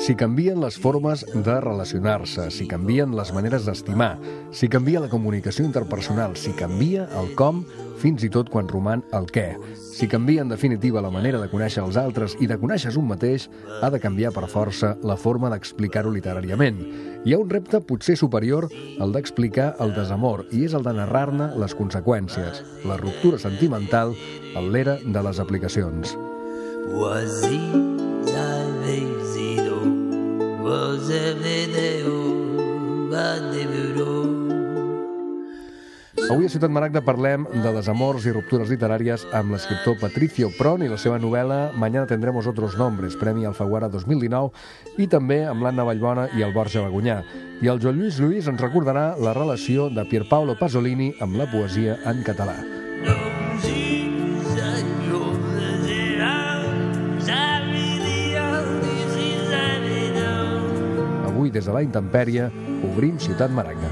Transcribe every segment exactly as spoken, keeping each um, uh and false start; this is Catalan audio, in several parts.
Si canvien les formes de relacionar-se, si canvien les maneres d'estimar, si canvia la comunicació interpersonal, si canvia el com, fins i tot quan roman el què. Si canvia, en definitiva, la manera de conèixer els altres i de conèixer un mateix, ha de canviar per força la forma d'explicar-ho literàriament. Hi ha un repte potser superior al d'explicar el desamor, i és el de narrar-ne les conseqüències, la ruptura sentimental en l'era de les aplicacions. Avui a Ciutat Maragda parlem de desamors i ruptures literàries amb l'escriptor Patricio Pron i la seva novel·la Mañana tendremos otros nombres, Premi Alfaguara dos mil dinou, i també amb l'Anna Vallbona i el Borja Bagunyà. I el Joan Lluís Lluís ens recordarà la relació de Pierpaolo Pasolini amb la poesia en català. Avui, des de la intempèrie, obrim Ciutat Maragda.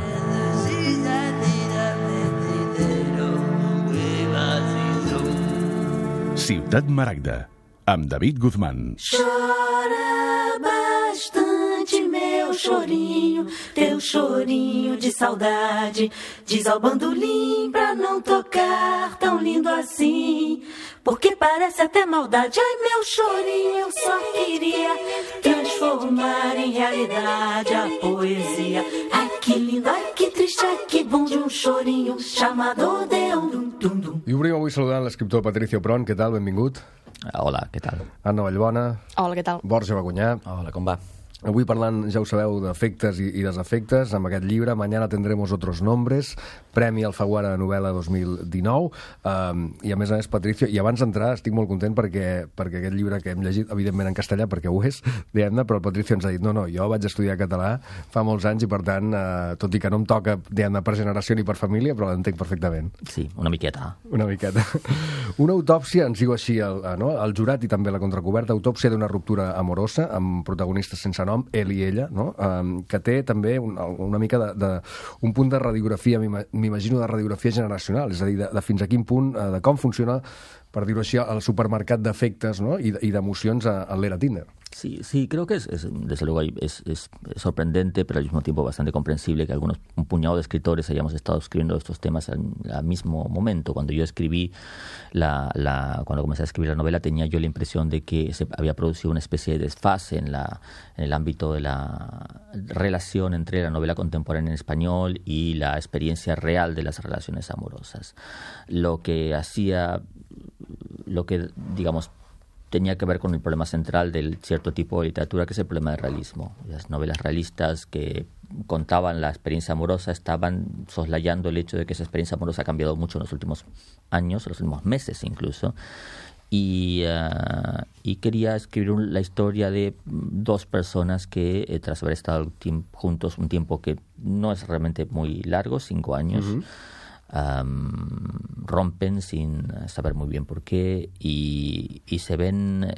Ciutat Maragda, amb David Guzmán. Chora bastante, meu chorinho, teu chorinho de saudade. Diz ao bandolim pra não tocar tão lindo assim, porque parece até maldade. Ai, meu chorinho, eu só queria transformar em realidade a poesia. Ai, que lindo, ai, que triste, ai, que bom de um chorinho chamado Deum. I obrim avui saludant l'escriptor Patricio Pron. Què tal? Benvingut. Hola, què tal? Anna Vallbona. Hola, què tal? Borja Bagunyà. Hola, com va? Avui parlant, ja ho sabeu, d'efectes i, i desefectes, amb aquest llibre, Mañana tendremos otros nombres, Premi Alfaguara de novel·la dos mil dinou, um, i a més a més, Patricio, i abans d'entrar estic molt content perquè, perquè aquest llibre que hem llegit, evidentment en castellà, perquè ho és, diguem-ne, però el Patricio ens ha dit, no, no, jo vaig estudiar català fa molts anys i, per tant, uh, tot i que no em toca, diguem-ne, per generació ni per família, però l'entenc perfectament. Sí, una miqueta. Una miqueta. Una autòpsia, ens diu així el, no? el jurat i també la contracoberta, autòpsia d'una ruptura amorosa, amb protagonistes sense nom, ell i ella, no? um, que té també un, una mica de, de, un punt de radiografia, m'imagino de radiografia generacional, és a dir, de, de fins a quin punt, uh, de com funciona, per dir-ho així, el supermercat d'efectes, ¿no? i, i d'emocions a, a l'era Tinder. Sí, sí, creo que es, es desde luego es, es sorprendente, pero al mismo tiempo bastante comprensible que algunos, un puñado de escritores hayamos estado escribiendo estos temas al, al mismo momento. Cuando yo escribí la, la, cuando comencé a escribir la novela, tenía yo la impresión de que se había producido una especie de desfase en la, en el ámbito de la relación entre la novela contemporánea en español y la experiencia real de las relaciones amorosas. Lo que hacía, lo que, digamos, tenía que ver con el problema central del cierto tipo de literatura, que es el problema del realismo. Las novelas realistas que contaban la experiencia amorosa estaban soslayando el hecho de que esa experiencia amorosa ha cambiado mucho en los últimos años, en los últimos meses incluso, y, uh, y quería escribir un, la historia de dos personas que, eh, tras haber estado juntos un tiempo que no es realmente muy largo, cinco años, uh-huh. Um, rompen sin saber muy bien por qué y, y se ven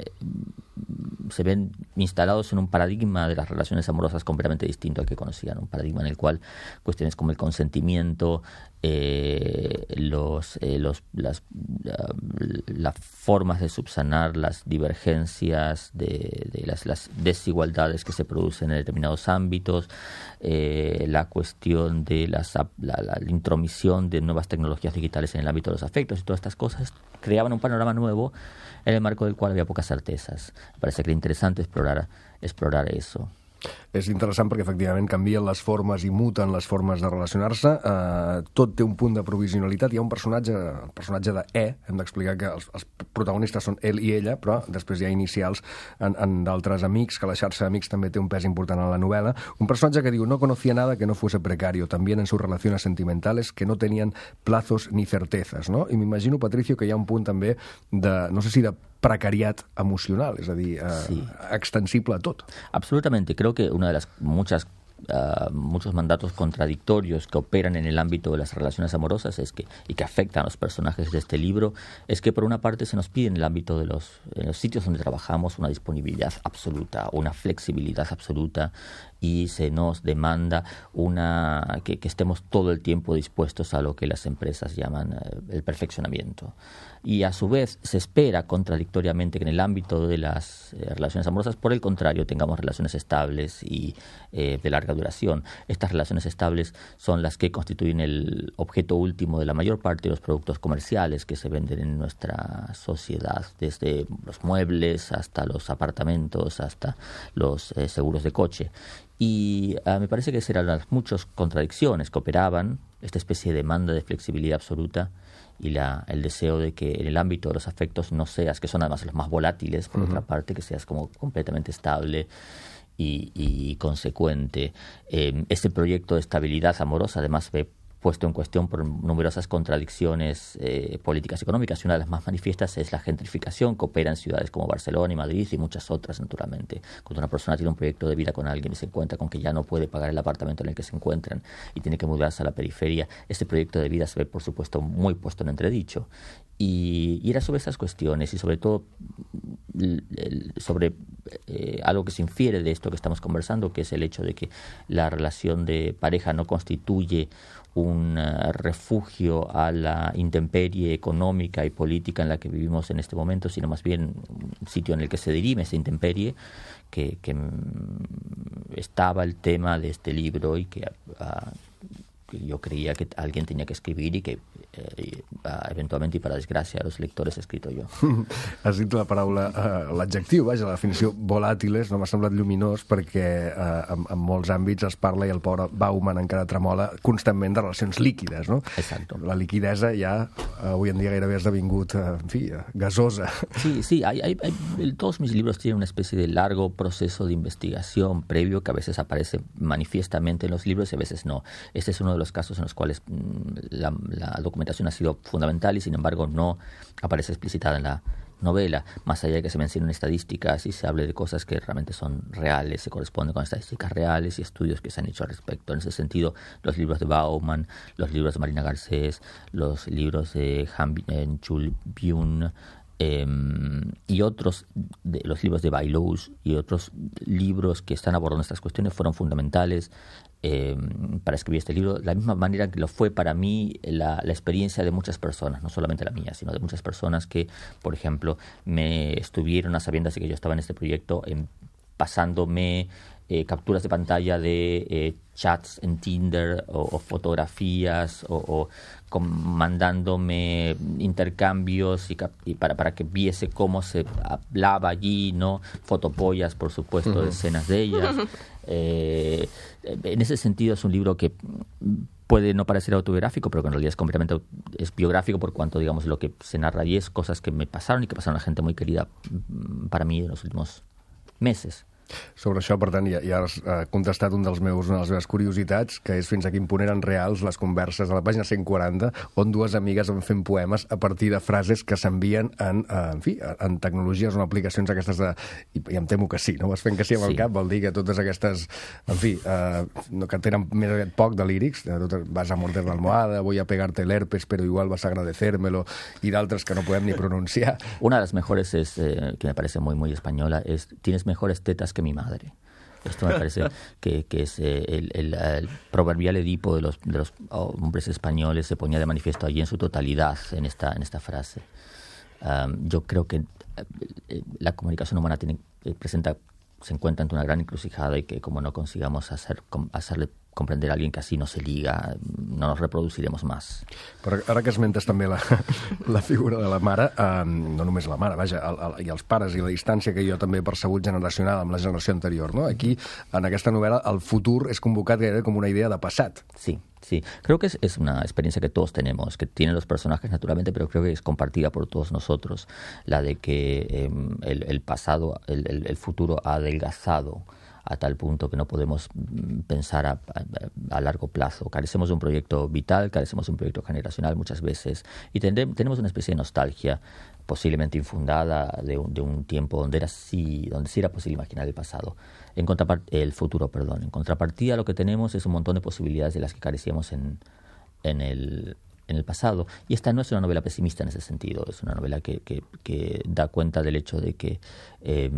se ven instalados en un paradigma de las relaciones amorosas completamente distinto al que conocían, un paradigma en el cual cuestiones como el consentimiento, eh, los, eh, los las, uh, las formas de subsanar las divergencias de, de las, las desigualdades que se producen en determinados ámbitos, eh, la cuestión de las, la, la, la intromisión de nuevas tecnologías digitales en el ámbito de los afectos y todas estas cosas creaban un panorama nuevo en el marco del cual había pocas certezas. Me parece que era interesante explorar, explorar eso. És interessant perquè efectivament canvien les formes i muten les formes de relacionar-se, eh, tot té un punt de provisionalitat. Hi ha un personatge, el personatge de E, hem d'explicar que els, els protagonistes són ell i ella, però després hi ha inicials en, en d'altres amics, que la xarxa d'amics també té un pes important en la novel·la. Un personatge que diu, no conocía nada que no fuese precario, también en sus relaciones sentimentales que no tenían plazos ni certezas, ¿no? I m'imagino, Patricio, que hi ha un punt també de, no sé si de precariat emocional, és a dir, eh, sí. extensible a tot. Absolutamente, creo que una de las muchas uh, muchos mandatos contradictorios que operan en el ámbito de las relaciones amorosas es que, y que afectan a los personajes de este libro, es que por una parte se nos pide en el ámbito de los, en los sitios donde trabajamos una disponibilidad absoluta, una flexibilidad absoluta, y se nos demanda una que, que estemos todo el tiempo dispuestos a lo que las empresas llaman eh, el perfeccionamiento. Y a su vez se espera contradictoriamente que en el ámbito de las eh, relaciones amorosas, por el contrario, tengamos relaciones estables y eh, de larga duración. Estas relaciones estables son las que constituyen el objeto último de la mayor parte de los productos comerciales que se venden en nuestra sociedad, desde los muebles hasta los apartamentos, hasta los eh, seguros de coche. Y uh, me parece que eran las muchas contradicciones que operaban, esta especie de demanda de flexibilidad absoluta y la, el deseo de que en el ámbito de los afectos no seas, que son además los más volátiles, por uh-huh. otra parte, que seas como completamente estable y, y consecuente. Eh, este proyecto de estabilidad amorosa además ve puesto en cuestión por numerosas contradicciones eh, políticas y económicas, y una de las más manifiestas es la gentrificación que opera en ciudades como Barcelona y Madrid y muchas otras, naturalmente. Cuando una persona tiene un proyecto de vida con alguien y se encuentra con que ya no puede pagar el apartamento en el que se encuentran y tiene que mudarse a la periferia, este proyecto de vida se ve, por supuesto, muy puesto en entredicho. Y, y era sobre esas cuestiones y sobre todo sobre eh, algo que se infiere de esto que estamos conversando, que es el hecho de que la relación de pareja no constituye un uh, refugio a la intemperie económica y política en la que vivimos en este momento, sino más bien un sitio en el que se dirime esa intemperie, que, que um, estaba el tema de este libro y que, uh, que yo creía que alguien tenía que escribir y que eh, eventualment i per a desgràcia dels lectors he escrit jo. Has dit la paraula, uh, l'adjectiu, vaja, la definició volàtiles, no m'ha semblat lluminós perquè uh, en, en molts àmbits es parla, i el pobre Bauman encara tremola constantment, de relacions líquides, no? Exacto. La liquidesa ja uh, avui en dia gairebé ha esdevingut, uh, en fi, uh, gasosa. Sí, sí, hay, hay, hay, todos mis libros tienen una especie de largo proceso de investigación previo que a veces aparece manifiestamente en los libros y a veces no. Este es uno de los casos en los cuales la, la documentación ha sido fundamental y sin embargo no aparece explicitada en la novela, más allá de que se mencionen estadísticas y se hable de cosas que realmente son reales, se corresponden con estadísticas reales y estudios que se han hecho al respecto. En ese sentido, los libros de Bauman, los libros de Marina Garcés, los libros de Han-Chul Byun, Eh, y otros, de, los libros de Bailouche y otros libros que están abordando estas cuestiones fueron fundamentales eh, para escribir este libro, de la misma manera que lo fue para mí la, la experiencia de muchas personas, no solamente la mía, sino de muchas personas que, por ejemplo, me estuvieron a sabiendas de que yo estaba en este proyecto, en, pasándome eh, capturas de pantalla de eh, chats en Tinder o, o fotografías o, o con, mandándome intercambios y, y para, para que viese cómo se hablaba allí, ¿no? Fotopollas, por supuesto, uh-huh. de escenas de ellas. Eh, en ese sentido es un libro que puede no parecer autobiográfico, pero que en realidad es completamente es biográfico por cuanto, digamos, lo que se narra allí es cosas que me pasaron y que pasaron a gente muy querida para mí en los últimos meses. Sobre això, per tant, ja, ja has uh, contestat un dels meus, una de les meves curiositats, que és fins a quin punt eren reals les converses a la pàgina cent quaranta, on dues amigues van fent poemes a partir de frases que s'envien en, uh, en fi, en tecnologies o en aplicacions aquestes de... I, i em temo que sí, no? Vas fent que sí amb el sí. cap, vol dir que totes aquestes, en fi, uh, no, que tenen més aviat poc de lírics, de totes, vas a morder la almohada, voy a pegarte el herpes, pero igual vas a agradecérmelo, i d'altres que no podem ni pronunciar. Una de las mejores es, eh, que me parece muy, muy española, es tienes mejores tetas que mi madre. Esto me parece que, que es eh, el, el, el proverbial Edipo de los, de los hombres españoles se ponía de manifiesto allí en su totalidad en esta, en esta frase. Um, yo creo que eh, la comunicación humana tiene, eh, presenta, se encuentra ante una gran encrucijada y que como no consigamos hacer, com, hacerle comprender a alguien que así no se liga, no nos reproduciremos más. Però ara que esmentes també la, la figura de la mare, eh, no només la mare, vaja, el, el, i els pares i la distància que jo també he percebut generacional amb la generació anterior, no? Aquí, en aquesta novel·la, el futur és convocat gairebé com una idea de passat. Sí. Sí, creo que es, es una experiencia que todos tenemos, que tienen los personajes naturalmente, pero creo que es compartida por todos nosotros, la de que eh, el, el pasado, el, el, el futuro ha adelgazado a tal punto que no podemos pensar a, a, a largo plazo. Carecemos de un proyecto vital, carecemos de un proyecto generacional muchas veces y tendré, tenemos una especie de nostalgia posiblemente infundada de un, de un tiempo donde era sí, donde sí era posible imaginar el pasado. En contrapart- el futuro, perdón. En contrapartida, lo que tenemos es un montón de posibilidades de las que carecíamos en, en el en el pasado. Y esta no es una novela pesimista en ese sentido, es una novela que, que, que da cuenta del hecho de que eh,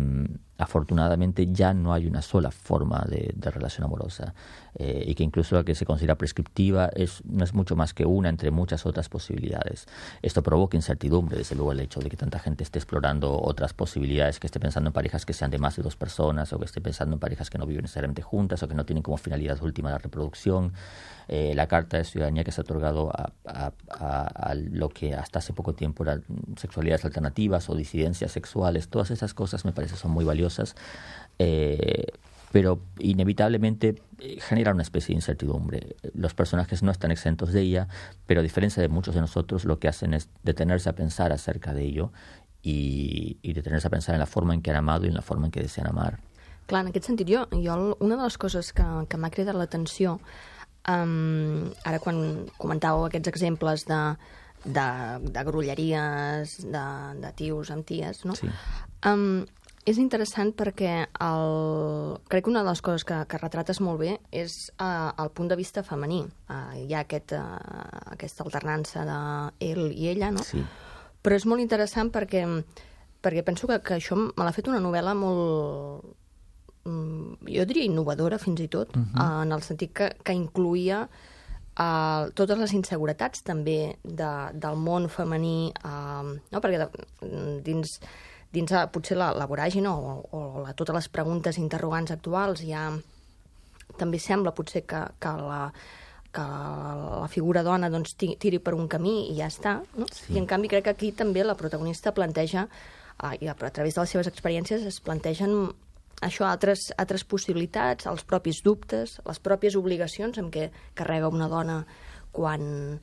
afortunadamente ya no hay una sola forma de, de relación amorosa eh, y que incluso la que se considera prescriptiva es, no es mucho más que una entre muchas otras posibilidades. Esto provoca incertidumbre, desde luego, el hecho de que tanta gente esté explorando otras posibilidades, que esté pensando en parejas que sean de más de dos personas o que esté pensando en parejas que no viven necesariamente juntas o que no tienen como finalidad última la reproducción. Eh, la Carta de Ciudadanía que se ha otorgado a, a, a, a lo que hasta hace poco tiempo eran sexualidades alternativas o disidencias sexuales, todas esas cosas me parece son muy valiosas, eh, pero inevitablemente eh, generan una especie de incertidumbre. Los personajes no están exentos de ella, pero a diferencia de muchos de nosotros, lo que hacen es detenerse a pensar acerca de ello y, y detenerse a pensar en la forma en que han amado y en la forma en que desean amar. Clar, en aquest sentit, jo, jo una de les coses que, que m'ha cridat l'atenció, Um, ara quan comentàveu aquests exemples de, de, de grolleries, de, de tios amb ties, no? Sí. Um, és interessant perquè el, crec que una de les coses que, que retrates molt bé és uh, el punt de vista femení. Uh, hi ha aquest, uh, aquesta alternança de ell i ella, no? Sí. Però és molt interessant perquè, perquè penso que, que això me l'ha fet una novel·la molt... jo diria innovadora fins i tot, uh-huh. uh, en el sentit que, que incluïa uh, totes les inseguretats també de, del món femení, uh, no? Perquè de, dins, dins uh, potser la, la voràgina o, o la, totes les preguntes interrogants actuals hi ha, també sembla potser que, que la que la figura dona doncs, tiri per un camí i ja està, no? Sí. I en canvi crec que aquí també la protagonista planteja, uh, i a, a través de les seves experiències es plantegen això, altres, altres possibilitats, els propis dubtes, les pròpies obligacions amb què carrega una dona quan,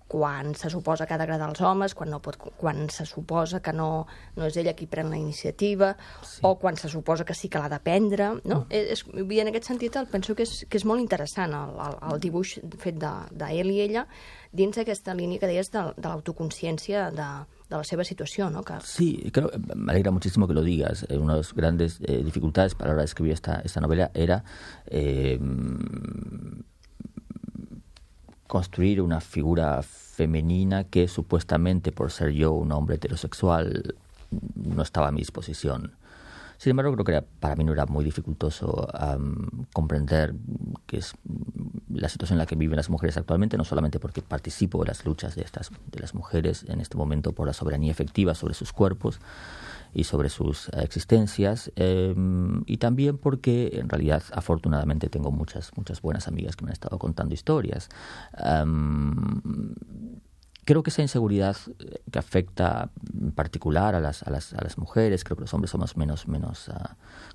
quan se suposa que ha d'agradar als homes, quan, no pot, quan se suposa que no, no és ella qui pren la iniciativa, sí. O quan se suposa que sí que l'ha de prendre. No? Mm. És, I en aquest sentit el penso que és, que és molt interessant el, el, el dibuix fet d'ell de, de i ella dins d'aquesta línia que deies de, de l'autoconsciència de, de la seva situació, ¿no? Que... Sí, creo, me alegra muchísimo que lo digas. Eh, una de las grandes eh, dificultades para la hora de escribir esta, esta novela era eh, construir una figura femenina que supuestamente por ser yo un hombre heterosexual no estaba a mi disposición. Sin embargo, creo que era, para mí no era muy dificultoso um, comprender que es la situación en la que viven las mujeres actualmente, no solamente porque participo de las luchas de, estas, de las mujeres en este momento por la soberanía efectiva sobre sus cuerpos y sobre sus uh, existencias, eh, y también porque en realidad afortunadamente tengo muchas, muchas buenas amigas que me han estado contando historias. Um, Creo que esa inseguridad que afecta en particular a las, a las, a las mujeres, creo que los hombres somos menos, menos uh,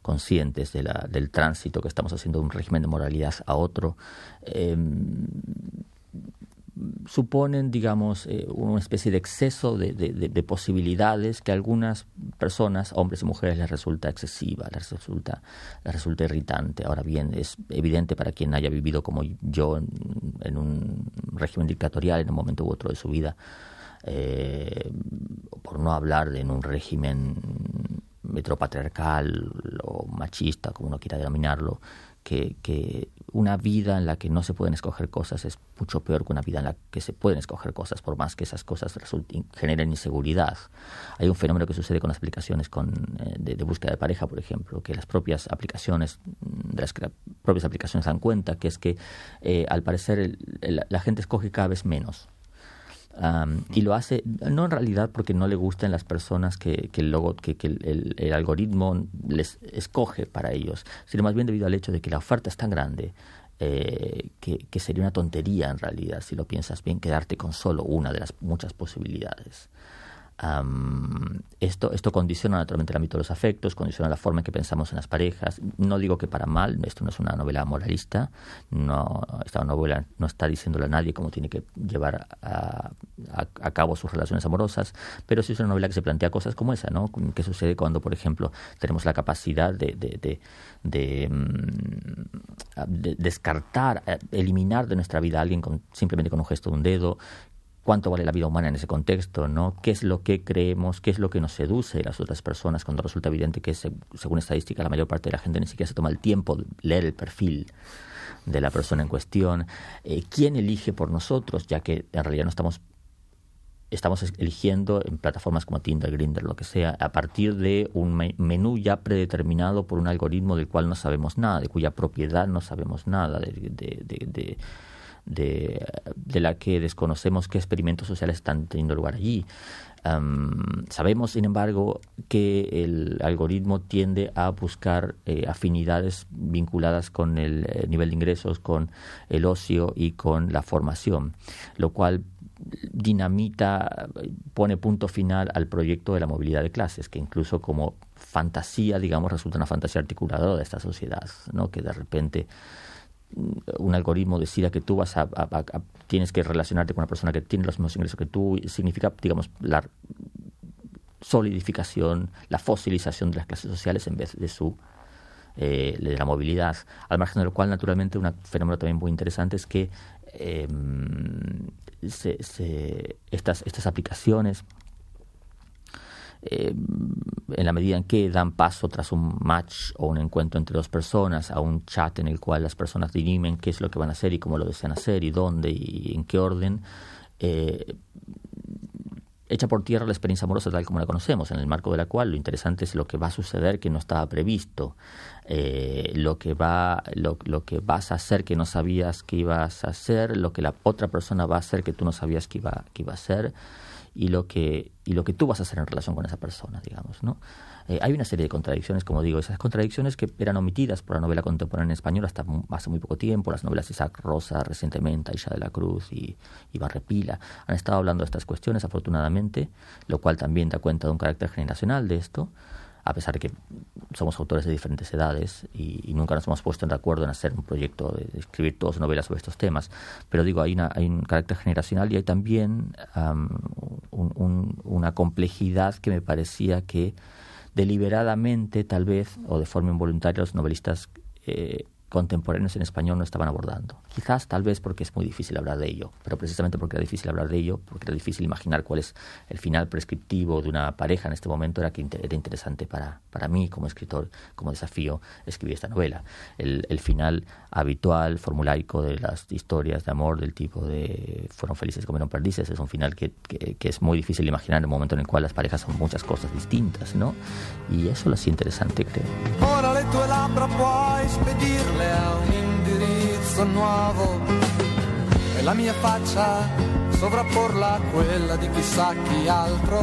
conscientes de la, del tránsito que estamos haciendo de un régimen de moralidad a otro, eh, suponen, digamos, eh, una especie de exceso de, de, de, de posibilidades que a algunas personas, hombres y mujeres, les resulta excesiva, les resulta, les resulta irritante. Ahora bien, es evidente para quien haya vivido como yo en, en un régimen dictatorial en un momento u otro de su vida, eh, por no hablar de en un régimen heteropatriarcal o machista, como uno quiera denominarlo, que, que una vida en la que no se pueden escoger cosas es mucho peor que una vida en la que se pueden escoger cosas, por más que esas cosas resulten, generen inseguridad. Hay un fenómeno que sucede con las aplicaciones con, eh, de, de búsqueda de pareja, por ejemplo, que las propias aplicaciones, de las que las propias aplicaciones dan cuenta, que es que eh, al parecer el, el, la gente escoge cada vez menos. Um, y lo hace no en realidad porque no le gusten las personas que, que, el, logo, que, que el, el, el algoritmo les escoge para ellos, sino más bien debido al hecho de que la oferta es tan grande eh, que, que sería una tontería en realidad, si lo piensas bien, quedarte con solo una de las muchas posibilidades. Um, esto, esto condiciona naturalmente el ámbito de los afectos, condiciona la forma en que pensamos en las parejas. No digo que para mal, esto no es una novela moralista, no, esta novela no está diciéndole a nadie cómo tiene que llevar a, a, a cabo sus relaciones amorosas, pero sí es una novela que se plantea cosas como esa, ¿no? ¿Qué sucede cuando, por ejemplo, tenemos la capacidad de, de, de, de, de descartar, eliminar de nuestra vida a alguien con, simplemente con un gesto de un dedo? ¿Cuánto vale la vida humana en ese contexto, ¿no? ¿Qué es lo que creemos? ¿Qué es lo que nos seduce de las otras personas cuando resulta evidente que, según estadística, la mayor parte de la gente ni siquiera se toma el tiempo de leer el perfil de la persona en cuestión? Eh, ¿Quién elige por nosotros? Ya que en realidad no estamos estamos eligiendo en plataformas como Tinder, Grindr, lo que sea, a partir de un menú ya predeterminado por un algoritmo del cual no sabemos nada, de cuya propiedad no sabemos nada, de... de, de, de De, de la que desconocemos qué experimentos sociales están teniendo lugar allí. Um, sabemos, sin embargo, que el algoritmo tiende a buscar eh, afinidades vinculadas con el eh, nivel de ingresos, con el ocio y con la formación, lo cual dinamita, pone punto final al proyecto de la movilidad de clases, que incluso como fantasía, digamos, resulta una fantasía articuladora de esta sociedad, ¿no? Que de repente un algoritmo decida que tú vas a, a, a, a tienes que relacionarte con una persona que tiene los mismos ingresos que tú, significa, digamos, la solidificación, la fosilización de las clases sociales en vez de su eh, de la movilidad. Al margen de lo cual, naturalmente, un fenómeno también muy interesante es que eh, se, se, estas, estas aplicaciones, Eh, en la medida en que dan paso tras un match o un encuentro entre dos personas a un chat en el cual las personas dirimen qué es lo que van a hacer y cómo lo desean hacer y dónde y en qué orden, eh, echa por tierra la experiencia amorosa tal como la conocemos, en el marco de la cual lo interesante es lo que va a suceder que no estaba previsto, eh, lo que va lo, lo que vas a hacer que no sabías que ibas a hacer, lo que la otra persona va a hacer que tú no sabías que iba, que iba a hacer, y lo que y lo que tú vas a hacer en relación con esa persona, digamos, ¿no? Eh, hay una serie de contradicciones, como digo, esas contradicciones que eran omitidas por la novela contemporánea en español hasta hace muy poco tiempo. Las novelas de Isaac Rosa recientemente, Aisha de la Cruz y, y Barrepila han estado hablando de estas cuestiones, afortunadamente, lo cual también da cuenta de un carácter generacional de esto, a pesar de que somos autores de diferentes edades y, y nunca nos hemos puesto de acuerdo en hacer un proyecto de, de escribir todas novelas sobre estos temas. Pero digo, hay, una, hay un carácter generacional y hay también um, un, un, una complejidad que me parecía que deliberadamente, tal vez, o de forma involuntaria, los novelistas eh, contemporáneos en español no estaban abordando. Quizás, tal vez, porque es muy difícil hablar de ello, pero precisamente porque era difícil hablar de ello, porque era difícil imaginar cuál es el final prescriptivo de una pareja en este momento, era que inter- era interesante para, para mí, como escritor, como desafío, escribir esta novela. El, el final habitual, formulaico de las historias de amor del tipo de fueron felices y comieron perdices, es un final que, que, que es muy difícil imaginar en el momento en el cual las parejas son muchas cosas distintas, ¿no? Y eso lo hacía interesante, creo. Ora le tue labbra puoi spedirle a un indirizzo nuovo e la mia faccia sovrapporla a quella di chissà chi altro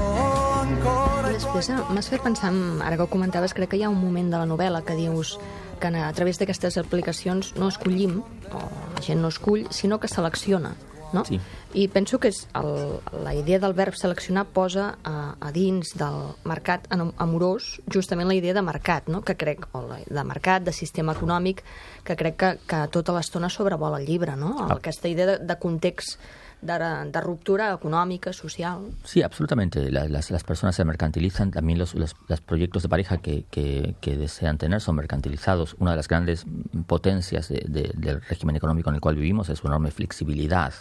ancora. Després m'has fet pensar, ara que ho comentaves, crec que hi ha un moment de la novel·la que dius que a través d'aquestes aplicacions no escollim, o la gent no escull, sinó que selecciona, no? Sí. I penso que és el, la idea del verb seleccionar posa a, a dins del mercat amorós justament la idea de mercat, no? Que crec, o la, de mercat, de sistema econòmic, que crec que, que tota l'estona sobrevola el llibre, no? Ah. Aquesta idea de, de context de, de ruptura econòmica, social. Sí, absolutamente. La, las, las personas se mercantilizan. También los, los, los proyectos de pareja que, que, que desean tener son mercantilizados. Una de las grandes potencias de, de, del régimen económico en el cual vivimos es su enorme flexibilidad.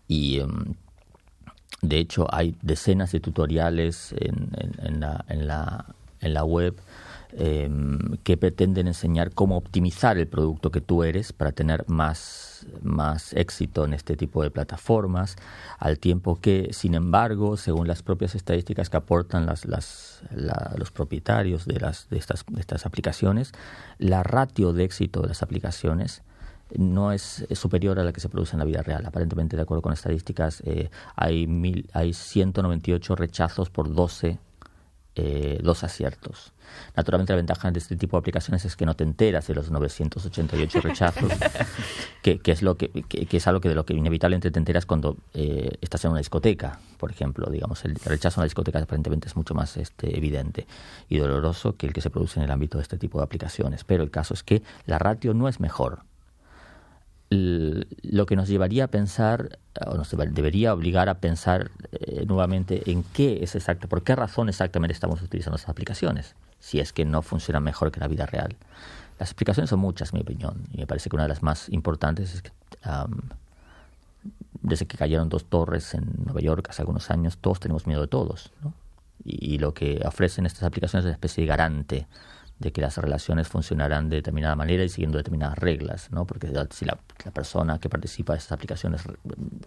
Y, um, de hecho, hay decenas de tutoriales en, en, en, la, en, la, en la web eh, que pretenden enseñar cómo optimizar el producto que tú eres para tener más, más éxito en este tipo de plataformas, al tiempo que, sin embargo, según las propias estadísticas que aportan las, las, la, los propietarios de, las, de, estas, de estas aplicaciones, la ratio de éxito de las aplicaciones no es, es superior a la que se produce en la vida real. Aparentemente, de acuerdo con estadísticas, eh, hay, mil, hay ciento noventa y ocho rechazos por doce eh, dos aciertos. Naturalmente la ventaja de este tipo de aplicaciones es que no te enteras de los novecientos ochenta y ocho rechazos, que, que, es lo que, que, que es algo que de lo que inevitablemente te enteras cuando eh, estás en una discoteca, por ejemplo. Digamos, el rechazo en la discoteca aparentemente es mucho más este, evidente y doloroso que el que se produce en el ámbito de este tipo de aplicaciones. Pero el caso es que la ratio no es mejor. El, lo que nos llevaría a pensar, o nos debería obligar a pensar eh, nuevamente en qué es exacto, por qué razón exactamente estamos utilizando estas aplicaciones, si es que no funcionan mejor que la vida real. Las aplicaciones son muchas, en mi opinión, y me parece que una de las más importantes es que um, desde que cayeron dos torres en Nueva York hace algunos años, todos tenemos miedo de todos, ¿no? Y, y lo que ofrecen estas aplicaciones es una especie de garante de que las relaciones funcionarán de determinada manera y siguiendo determinadas reglas, ¿no? Porque si la, la persona que participa de estas aplicaciones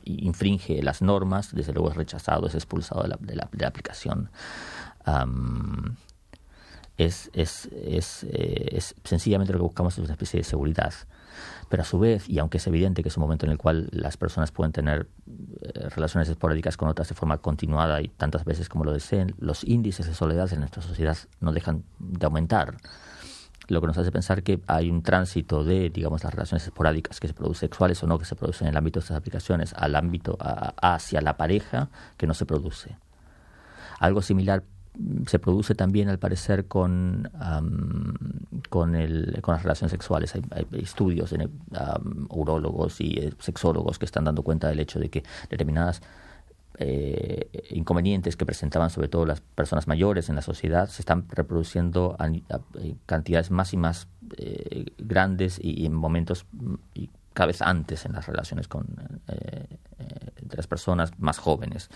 infringe las normas, desde luego es rechazado, es expulsado de la, de la, de la aplicación. Um, es, es, es, eh, es sencillamente lo que buscamos es una especie de seguridad. Pero a su vez, y aunque es evidente que es un momento en el cual las personas pueden tener eh, relaciones esporádicas con otras de forma continuada y tantas veces como lo deseen, los índices de soledad en nuestra sociedad no dejan de aumentar. Lo que nos hace pensar que hay un tránsito de, digamos, las relaciones esporádicas que se producen, sexuales o no, que se producen en el ámbito de estas aplicaciones, al ámbito, a, hacia la pareja, que no se produce. Algo similar se produce también, al parecer, con um, con, el, con las relaciones sexuales. Hay, hay estudios de um, urólogos y eh, sexólogos que están dando cuenta del hecho de que determinadas eh, inconvenientes que presentaban sobre todo las personas mayores en la sociedad se están reproduciendo a, a, a cantidades más y más eh, grandes y, y en momentos y cada vez antes en las relaciones con eh, eh, entre las personas más jóvenes.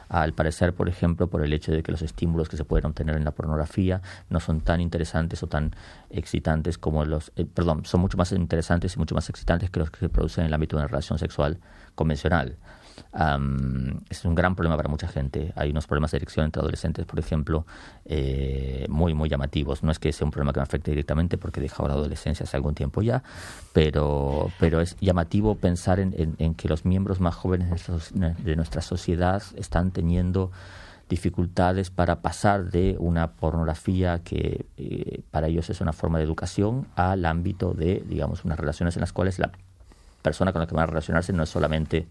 Al parecer, por ejemplo, por el hecho de que los estímulos que se pueden obtener en la pornografía no son tan interesantes o tan excitantes como los... Eh, perdón, son mucho más interesantes y mucho más excitantes que los que se producen en el ámbito de una relación sexual convencional. Um, es un gran problema para mucha gente. Hay unos problemas de erección entre adolescentes, por ejemplo, eh, muy, muy llamativos. No es que sea un problema que me afecte directamente porque he dejado la adolescencia hace algún tiempo ya, pero, pero es llamativo pensar en, en, en que los miembros más jóvenes de nuestra sociedad están teniendo dificultades para pasar de una pornografía que eh, para ellos es una forma de educación al ámbito de, digamos, unas relaciones en las cuales la persona con la que van a relacionarse no es solamente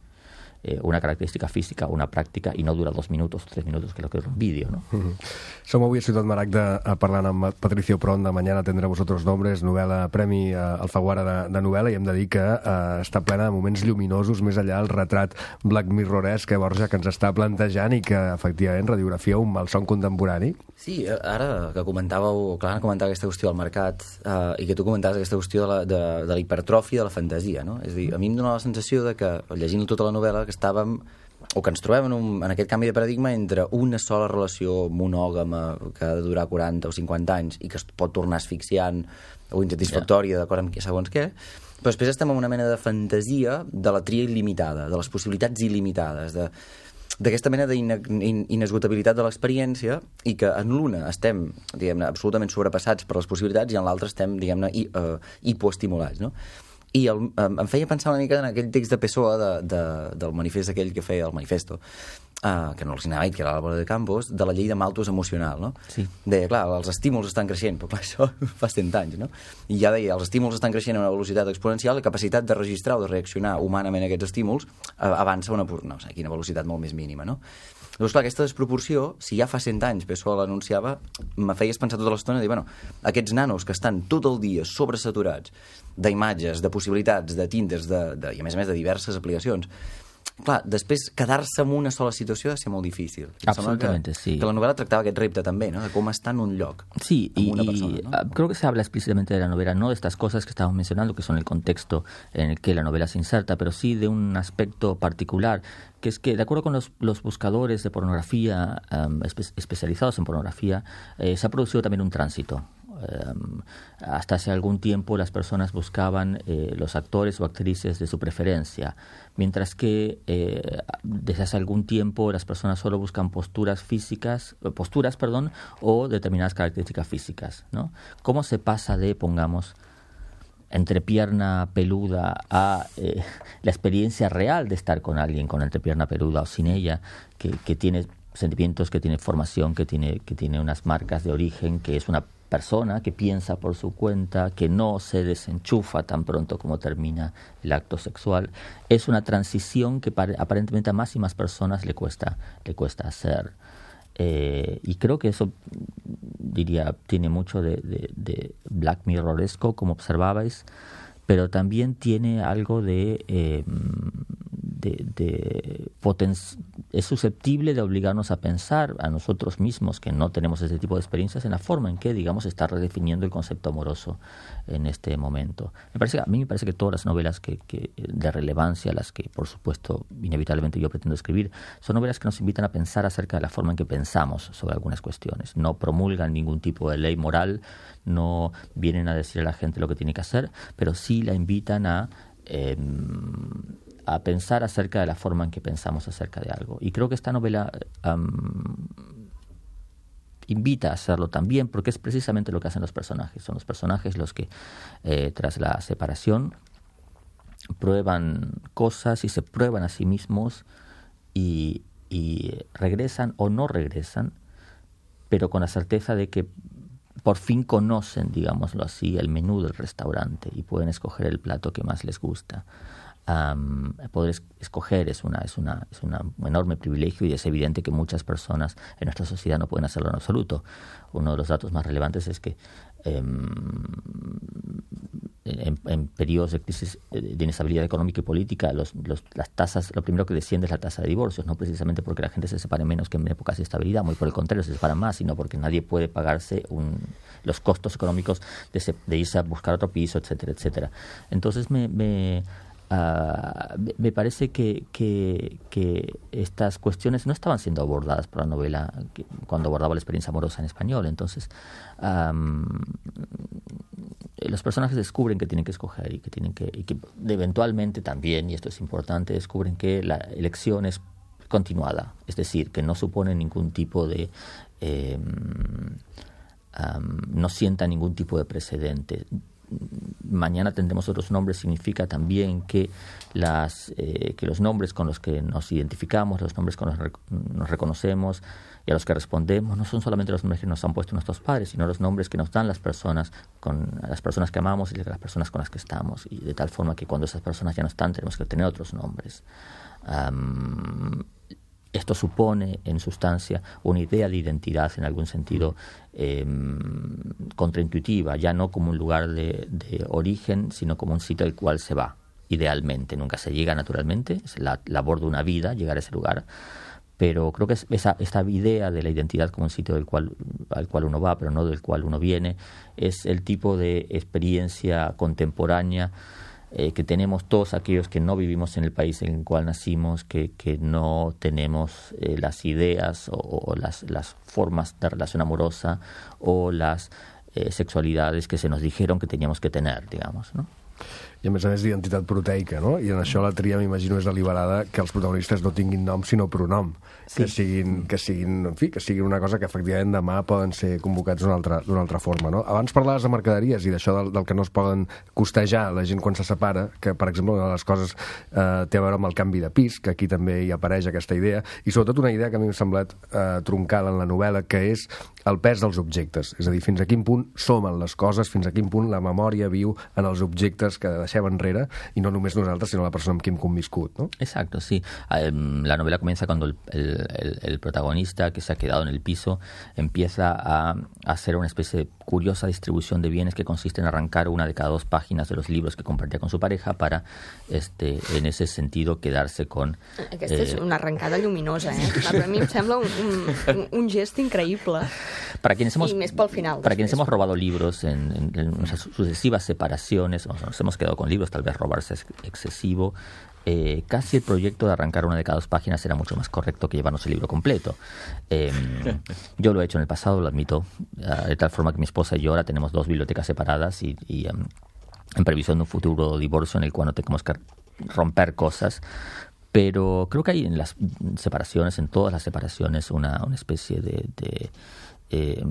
Eh, una característica física, una pràctica, i no dura dos minuts o tres minuts, que és el que és un vídeo, no? Mm-hmm. Som avui a Ciutat Maragda parlant amb Patricio Pron de Mañana tendré vosotros nombres, novel·la, premi eh, Alfaguara de, de novel·la, i hem de dir que eh, està plena de moments lluminosos, més enllà del retrat Black Mirroresc que Borja que ens està plantejant i que efectivament radiografia un malson contemporani. Sí, ara que comentàveu, clar, comentava aquesta qüestió del mercat eh, i que tu comentaves aquesta qüestió de la, de, de la hipertròfia de la fantasia, no? És a dir, a mi em dóna la sensació de que, llegint tota la novel·la, que estàvem, o que ens trobem en, un, en aquest canvi de paradigma entre una sola relació monògama que ha de durar quaranta o cinquanta anys i que es pot tornar asfixiant o insatisfactòria, yeah, d'acord amb segons què, però després estem en una mena de fantasia de la tria il·limitada, de les possibilitats il·limitades, de d'aquesta mena d'inesgotabilitat de l'experiència, i que en l'una estem, diguem-ne, absolutament sobrepassats per les possibilitats i en l'altra estem, diguem-ne, hi, uh, hipoestimulats, no? I el, um, em feia pensar una mica en aquell text de Pessoa de, de, del manifest aquell que feia el manifesto, uh, que no els anava dit, que era l'Álvaro de Campos, de la llei de Malthus emocional, no? Sí. Deia, clar, els estímuls estan creixent, però clar, això fa cent anys, no? I ja deia, els estímuls estan creixent a una velocitat exponencial, la capacitat de registrar o de reaccionar humanament a aquests estímuls uh, avança a una, no sé, quina velocitat molt més mínima, no? Llavors, clar, aquesta desproporció, si ja fa cent anys Pessoa l'anunciava, me feies pensar tota l'estona, dir, bueno, aquests nanos que estan tot el dia sobresaturats d'imatges, de possibilitats, de tintes, de, de, i a més a més de diverses aplicacions, clar, després quedar-se en una sola situació ha de ser molt difícil. Absolutamente, que, sí. Que la novel·la tractava aquest repte també, ¿no? De cómo está en un lloc. Sí, y, una y persona, ¿no? creo que se habla explícitamente de la novela, no de estas cosas que estamos mencionando, que son el contexto en el que la novela se inserta, pero sí de un aspecto particular, que es que, de acuerdo con los, los buscadores de pornografía um, espe- especializados en pornografía, eh, se ha producido también un tránsito. Um, hasta hace algún tiempo las personas buscaban eh, los actores o actrices de su preferencia, mientras que eh, desde hace algún tiempo las personas solo buscan posturas físicas, posturas, perdón, o determinadas características físicas, ¿no? ¿Cómo se pasa de, pongamos, entrepierna peluda a eh, la experiencia real de estar con alguien con entrepierna peluda o sin ella, que, que tiene sentimientos, que tiene formación, que tiene, que tiene unas marcas de origen, que es una persona que piensa por su cuenta, que no se desenchufa tan pronto como termina el acto sexual. Es una transición que aparentemente a más y más personas le cuesta, le cuesta hacer. Eh, y creo que eso, diría, tiene mucho de, de, de Black Mirroresco, como observabais, pero también tiene algo de... Eh, de, de poten- es susceptible de obligarnos a pensar a nosotros mismos, que no tenemos ese tipo de experiencias, en la forma en que, digamos, está redefiniendo el concepto amoroso en este momento. Me parece, a mí me parece que todas las novelas que, que de relevancia, las que, por supuesto, inevitablemente yo pretendo escribir, son novelas que nos invitan a pensar acerca de la forma en que pensamos sobre algunas cuestiones. No promulgan ningún tipo de ley moral, no vienen a decir a la gente lo que tiene que hacer, pero sí la invitan a... Eh, a pensar acerca de la forma en que pensamos acerca de algo. Y creo que esta novela um, invita a hacerlo también, porque es precisamente lo que hacen los personajes. Son los personajes los que, eh, tras la separación, prueban cosas y se prueban a sí mismos y, y regresan o no regresan, pero con la certeza de que por fin conocen, digámoslo así, el menú del restaurante y pueden escoger el plato que más les gusta. Um, poder es- escoger es una es una es una, un enorme privilegio, y es evidente que muchas personas en nuestra sociedad no pueden hacerlo en absoluto. Uno de los datos más relevantes es que um, en, en periodos de crisis de inestabilidad económica y política, los, los, las tasas, lo primero que desciende es la tasa de divorcios, no precisamente porque la gente se separe menos que en épocas de estabilidad, muy por el contrario, se separan más, sino porque nadie puede pagarse un, los costos económicos de, se, de irse a buscar otro piso, etcétera, etcétera. Entonces me, me Uh, me parece que, que, que estas cuestiones no estaban siendo abordadas por la novela que, cuando abordaba la experiencia amorosa en español. Entonces, um, los personajes descubren que tienen que escoger y que tienen que, y que eventualmente también, y esto es importante, descubren que la elección es continuada, es decir, que no supone ningún tipo de... Eh, um, no sienta ningún tipo de precedente. Mañana tendremos otros nombres significa también que las eh, que los nombres con los que nos identificamos, los nombres con los que nos reconocemos y a los que respondemos no son solamente los nombres que nos han puesto nuestros padres, sino los nombres que nos dan las personas con las personas que amamos y las personas con las que estamos, y de tal forma que cuando esas personas ya no están tenemos que tener otros nombres. Um, Esto supone, en sustancia, una idea de identidad en algún sentido eh, contraintuitiva, ya no como un lugar de, de origen, sino como un sitio al cual se va, idealmente. Nunca se llega naturalmente, es la labor de una vida llegar a ese lugar, pero creo que es esa, esta idea de la identidad como un sitio del cual, al cual uno va, pero no del cual uno viene, es el tipo de experiencia contemporánea Eh, que tenemos todos aquellos que no vivimos en el país en el cual nacimos, que, que no tenemos eh, las ideas o, o las, las formas de relación amorosa o las eh, sexualidades que se nos dijeron que teníamos que tener, digamos, ¿no? I a més a més d'identitat proteica, no? I en això la tria, m'imagino, és deliberada que els protagonistes no tinguin nom sinó pronom. Sí. Que siguin, que siguin, en fi, que siguin una cosa que efectivament demà poden ser convocats d'una altra, d'una altra forma, no? Abans parlaves de mercaderies i d'això del, del que no es poden costejar la gent quan se separa, que, per exemple, una de les coses eh, té a veure amb el canvi de pis, que aquí també hi apareix aquesta idea, i sobretot una idea que a mi m'ha semblat eh, troncal en la novel·la, que és el pes dels objectes. És a dir, fins a quin punt somen les coses, fins a quin punt la memòria viu en els objectes que deixem enrere, i no només nosaltres, sinó la persona amb qui hem conviscut, ¿no? Exacto, sí. La novela comienza cuando el, el, el, el protagonista, que se ha quedado en el piso, empieza a, a hacer una especie de curiosa distribución de bienes que consiste en arrancar una de cada dos páginas de los libros que compartía con su pareja para, este, en ese sentido, quedarse con... Aquesta eh... és una arrencada lluminosa, eh? Per a mi em sembla un, un, un gest increïble. Para quienes hemos, y més pel final. Para quienes hemos robado libros en, en, en nuestras sucesivas separaciones, o nos hemos quedado con libros, tal vez robarse es excesivo, eh, casi el proyecto de arrancar una de cada dos páginas era mucho más correcto que llevarnos el libro completo. Eh, yo lo he hecho en el pasado, lo admito, uh, de tal forma que mi esposa y yo ahora tenemos dos bibliotecas separadas y, y um, en previsión de un futuro divorcio en el cual no tenemos que romper cosas. Pero creo que hay en las separaciones, en todas las separaciones, una, una especie de... de eh,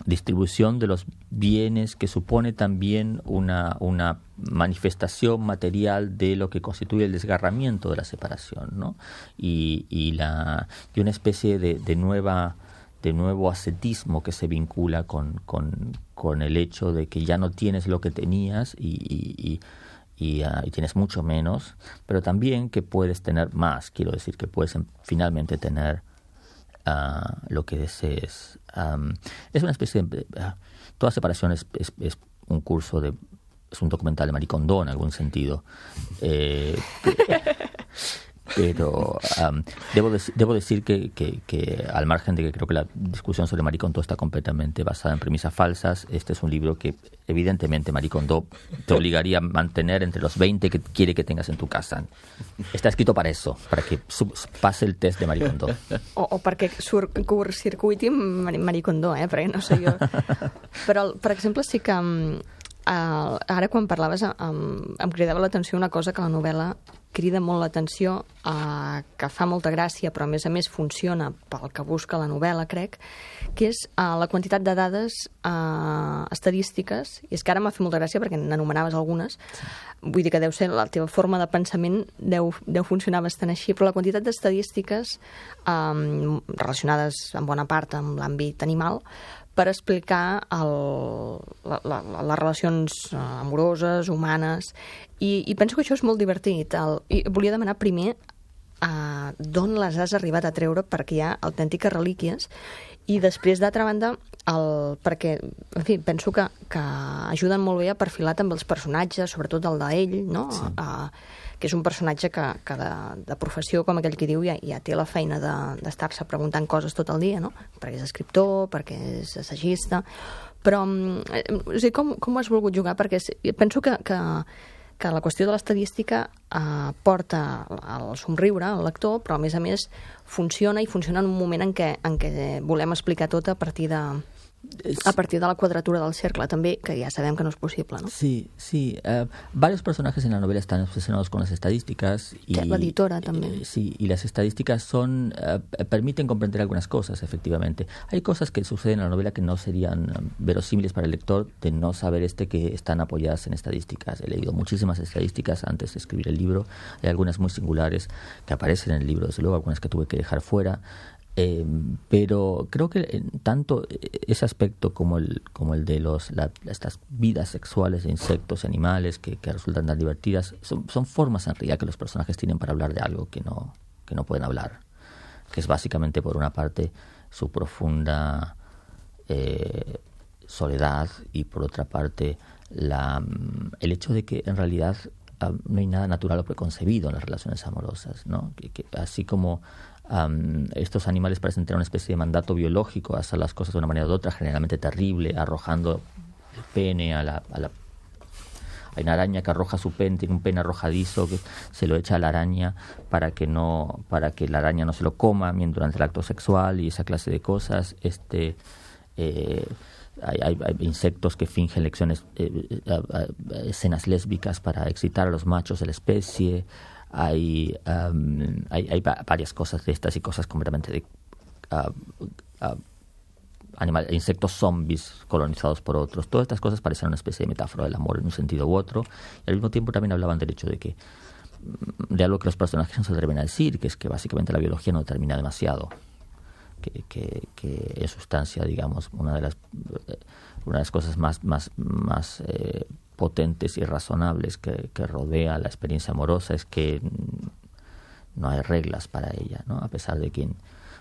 distribución de los bienes que supone también una, una manifestación material de lo que constituye el desgarramiento de la separación, ¿no? Y, y, la, y una especie de, de nueva de nuevo ascetismo que se vincula con, con, con el hecho de que ya no tienes lo que tenías y, y, y Y, uh, y tienes mucho menos, pero también que puedes tener más, quiero decir, que puedes um, finalmente tener uh, lo que desees. Um, es una especie de... Uh, toda separación es, es, es un curso de... es un documental de Marie Kondo en algún sentido. Eh, pero um, debo, de, debo decir que, que, que al margen de que creo que la discusión sobre Marie Kondo está completamente basada en premisas falsas, este es un libro que evidentemente Marie Kondo te obligaría a mantener entre los veinte que quiere que tengas en tu casa. Está escrito para eso, para que sub, pase el test de Marie Kondo. O, o perquè sur, circuiti Marie Kondo, eh? Perquè no sé jo. Però, per exemple, sí que Uh, ara quan parlaves um, em cridava l'atenció una cosa que la novel·la crida molt l'atenció, uh, que fa molta gràcia, però a més a més funciona pel que busca la novel·la, crec, que és uh, la quantitat de dades uh, estadístiques, i és que ara m'ha fet molta gràcia perquè n'anomenaves algunes, vull dir que deu ser la teva forma de pensament deu, deu funcionar bastant així, però la quantitat d'estadístiques um, relacionades en bona part amb l'àmbit animal, per explicar el, la, la, les relacions amoroses, humanes, i, i penso que això és molt divertit. El, i volia demanar primer uh, d'on les has arribat a treure, perquè hi ha autèntiques relíquies, i després, d'altra banda, el, perquè, en fi, penso que, que ajuden molt bé a perfilar també els personatges, sobretot el d'ell, no? Sí. Uh, que és un personatge que, que de, de professió, com aquell que diu, ja, ja té la feina de, d'estar-se preguntant coses tot el dia, no? Perquè és escriptor, perquè és assagista, però eh, o sigui, com, com ho has volgut jugar? Perquè penso que, que, que la qüestió de l'estadística eh, porta al somriure al lector, però a més a més funciona, i funciona en un moment en què, en què volem explicar tot a partir de... a partir de la cuadratura del cercle, también, que ya sabemos que no es posible, ¿no? Sí, sí. Uh, varios personajes en la novela están obsesionados con las estadísticas. Y, la editora también. Eh, sí, y las estadísticas son uh, permiten comprender algunas cosas, efectivamente. Hay cosas que suceden en la novela que no serían um, verosímiles para el lector de no saber este que están apoyadas en estadísticas. He leído muchísimas estadísticas antes de escribir el libro. Hay algunas muy singulares que aparecen en el libro, desde luego, algunas que tuve que dejar fuera. Eh, pero creo que eh, tanto ese aspecto como el como el de los la, estas vidas sexuales de insectos y animales que, que resultan tan divertidas son, son formas en realidad que los personajes tienen para hablar de algo que no que no pueden hablar, que es básicamente, por una parte, su profunda eh, soledad, y por otra parte la, el hecho de que en realidad uh, no hay nada natural o preconcebido en las relaciones amorosas, ¿no? Que, que así como Um, estos animales parecen tener una especie de mandato biológico, hacer las cosas de una manera u otra, generalmente terrible, arrojando el pene a la, a la... Hay una araña que arroja su pene, tiene un pene arrojadizo que se lo echa a la araña para que no, para que la araña no se lo coma durante el acto sexual, y esa clase de cosas. Este eh, hay, hay, hay insectos que fingen lecciones, eh, eh, escenas lésbicas para excitar a los machos de la especie. Hay, um, hay, hay varias cosas de estas y cosas completamente de uh, uh, animales, insectos zombies colonizados por otros. Todas estas cosas parecían una especie de metáfora del amor en un sentido u otro, y al mismo tiempo también hablaban del hecho de que de algo que los personajes no se atreven a decir, que es que básicamente la biología no determina demasiado, que, que, que en sustancia, digamos, una de las una de las cosas más más más eh, potentes y razonables que, que rodea la experiencia amorosa es que no hay reglas para ella, ¿no? A pesar de que,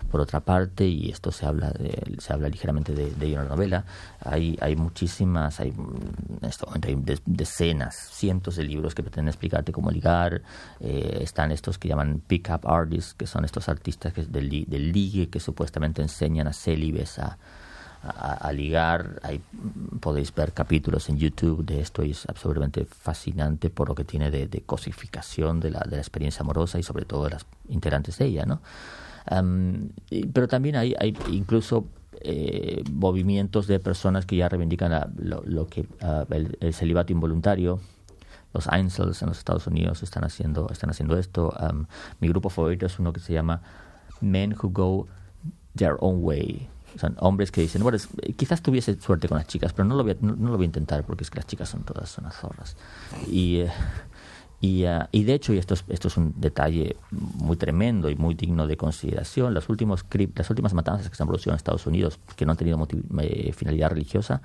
por otra parte, y esto se habla de, se habla ligeramente de, de ello en la novela, hay, hay muchísimas, hay, en este momento hay decenas, cientos de libros que pretenden explicarte cómo ligar. Eh, están estos que llaman pick-up artists, que son estos artistas que, del, del ligue, que supuestamente enseñan a célibes a A, a ligar. Hay, podéis ver capítulos en YouTube de esto, y es absolutamente fascinante por lo que tiene de, de cosificación de la, de la experiencia amorosa y sobre todo de las integrantes de ella, ¿no? Um, y, pero también hay, hay incluso eh, movimientos de personas que ya reivindican la, lo, lo que uh, el, el celibato involuntario. Los incels en los Estados Unidos están haciendo, están haciendo esto. Um, mi grupo favorito es uno que se llama Men Who Go Their Own Way, O sea, hombres que dicen, bueno, es, quizás tuviese suerte con las chicas, pero no lo voy a, no, no lo voy a intentar porque es que las chicas son todas unas zorras. Y, eh, y, uh, y de hecho, y esto es, esto es un detalle muy tremendo y muy digno de consideración, los últimos, las últimas matanzas que se han producido en Estados Unidos, que no han tenido motiv, eh, finalidad religiosa,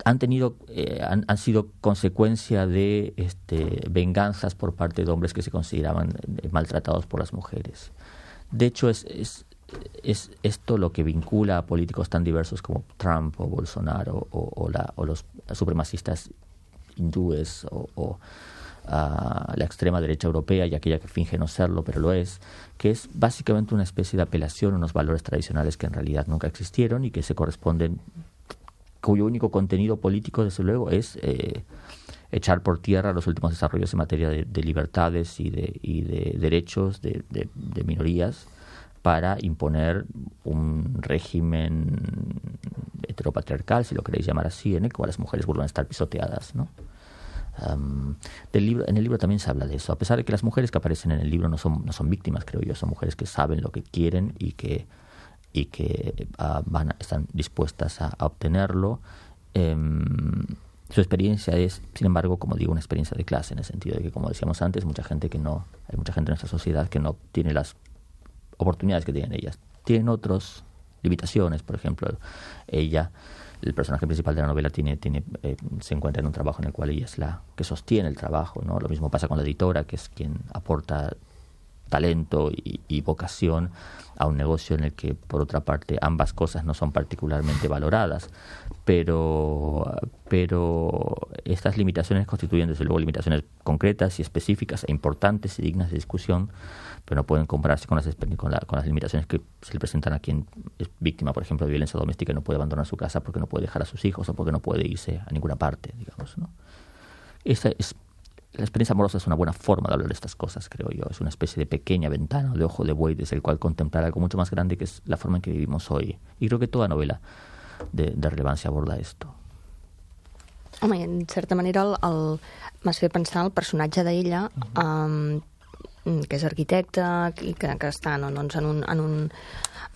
han tenido eh, han, han sido consecuencia de este, venganzas por parte de hombres que se consideraban eh, maltratados por las mujeres. De hecho, es, es es esto lo que vincula a políticos tan diversos como Trump o Bolsonaro o, o, la, o los supremacistas hindúes o, o uh, la extrema derecha europea y aquella que finge no serlo, pero lo es, que es básicamente una especie de apelación a unos valores tradicionales que en realidad nunca existieron y que se corresponden, cuyo único contenido político, desde luego, es eh, echar por tierra los últimos desarrollos en materia de, de libertades y de, y de derechos de, de, de minorías, para imponer un régimen heteropatriarcal, si lo queréis llamar así, en el cual las mujeres vuelvan a estar pisoteadas, ¿no? Um, del libro, en el libro también se habla de eso, a pesar de que las mujeres que aparecen en el libro no son, no son víctimas, creo yo, son mujeres que saben lo que quieren y que, y que uh, van a, están dispuestas a, a obtenerlo. Um, su experiencia es, sin embargo, como digo, una experiencia de clase, en el sentido de que, como decíamos antes, mucha gente que no, hay mucha gente en nuestra sociedad que no tiene las oportunidades que tienen ellas. Tienen otras limitaciones, por ejemplo, ella, el personaje principal de la novela, tiene, tiene, eh, se encuentra en un trabajo en el cual ella es la que sostiene el trabajo, ¿no? Lo mismo pasa con la editora, que es quien aporta talento y, y vocación a un negocio en el que, por otra parte, ambas cosas no son particularmente valoradas, pero, pero estas limitaciones constituyen, desde luego, limitaciones concretas y específicas e importantes y dignas de discusión, pero no pueden compararse con las, con, la, con las limitaciones que se le presentan a quien es víctima, por ejemplo, de violencia doméstica y no puede abandonar su casa porque no puede dejar a sus hijos o porque no puede irse a ninguna parte, digamos, ¿no? Esta es, la experiencia amorosa es una buena forma de hablar de estas cosas, creo yo. Es una especie de pequeña ventana de ojo de buey desde el cual contemplar algo mucho más grande, que es la forma en que vivimos hoy. Y creo que toda novela de, de relevancia aborda esto. Home, en certa manera, el, el, m'has fet pensar el personatge d'ella, uh-huh. um, que és arquitecte i que, que està no, doncs en, un, en, un,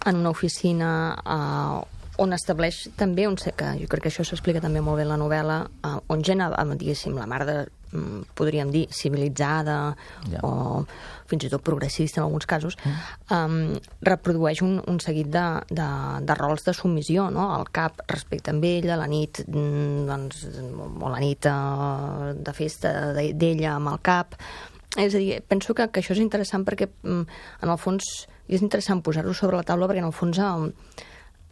en una oficina uh, on estableix també, on sé que jo crec que això s'explica també molt bé en la novel·la, uh, on gent, diguéssim, la mar de, um, podríem dir, civilitzada, yeah. o fins i tot progressista en alguns casos, um, reprodueix un, un seguit de, de, de rols de submissió, no? El cap respecte amb ella, la nit, doncs, o la nit uh, de festa d'ella amb el cap. És a dir, penso que, que això és interessant perquè, en el fons, és interessant posar-ho sobre la taula perquè, en el fons, um,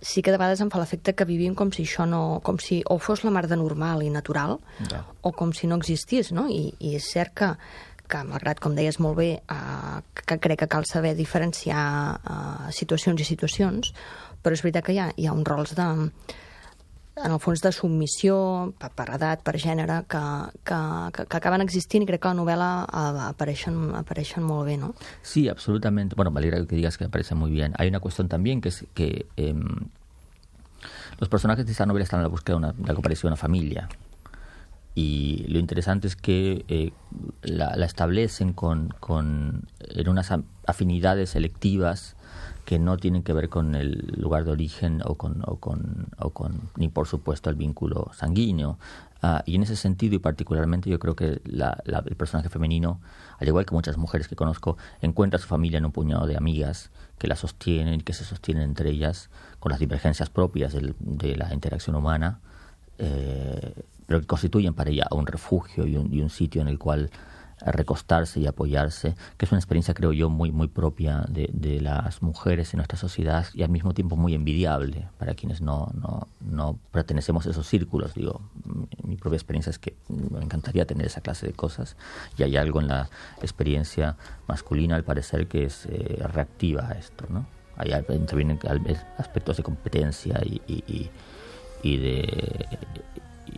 sí que de vegades em fa l'efecte que vivim com si això no... com si o fos la mar de normal i natural, ja. o com si no existís, no? I, i és cert que, que malgrat, com deies molt bé, uh, que crec que cal saber diferenciar uh, situacions i situacions, però és veritat que hi ha, hi ha uns rols de... en el fons de submissió, per, per edat, per gènere, que, que, que, que acaben existint i crec que a la novel·la apareixen, apareixen molt bé, ¿no? Sí, absolutamente. Bueno, me alegra que digas que me parece muy bien. Hay una cuestión también que es que eh, los personajes de esta novela están a la búsqueda de, una, de algo parecido a una familia. Y lo interesante es que eh, la, la establecen con, con, en unas afinidades selectivas que no tienen que ver con el lugar de origen o con, o con, o con ni por supuesto el vínculo sanguíneo. Uh, y en ese sentido, y particularmente, yo creo que la, la, el personaje femenino, al igual que muchas mujeres que conozco, encuentra a su familia en un puñado de amigas que la sostienen y que se sostienen entre ellas con las divergencias propias del, de la interacción humana, eh, pero que constituyen para ella un refugio y un, y un sitio en el cual recostarse y apoyarse, que es una experiencia, creo yo, muy muy propia de, de las mujeres en nuestra sociedad y al mismo tiempo muy envidiable para quienes no, no, no pertenecemos a esos círculos. Digo, mi propia experiencia es que me encantaría tener esa clase de cosas y hay algo en la experiencia masculina, al parecer, que es eh, reactiva a esto, ¿no? Ahí intervienen aspectos de competencia y, y, y, y de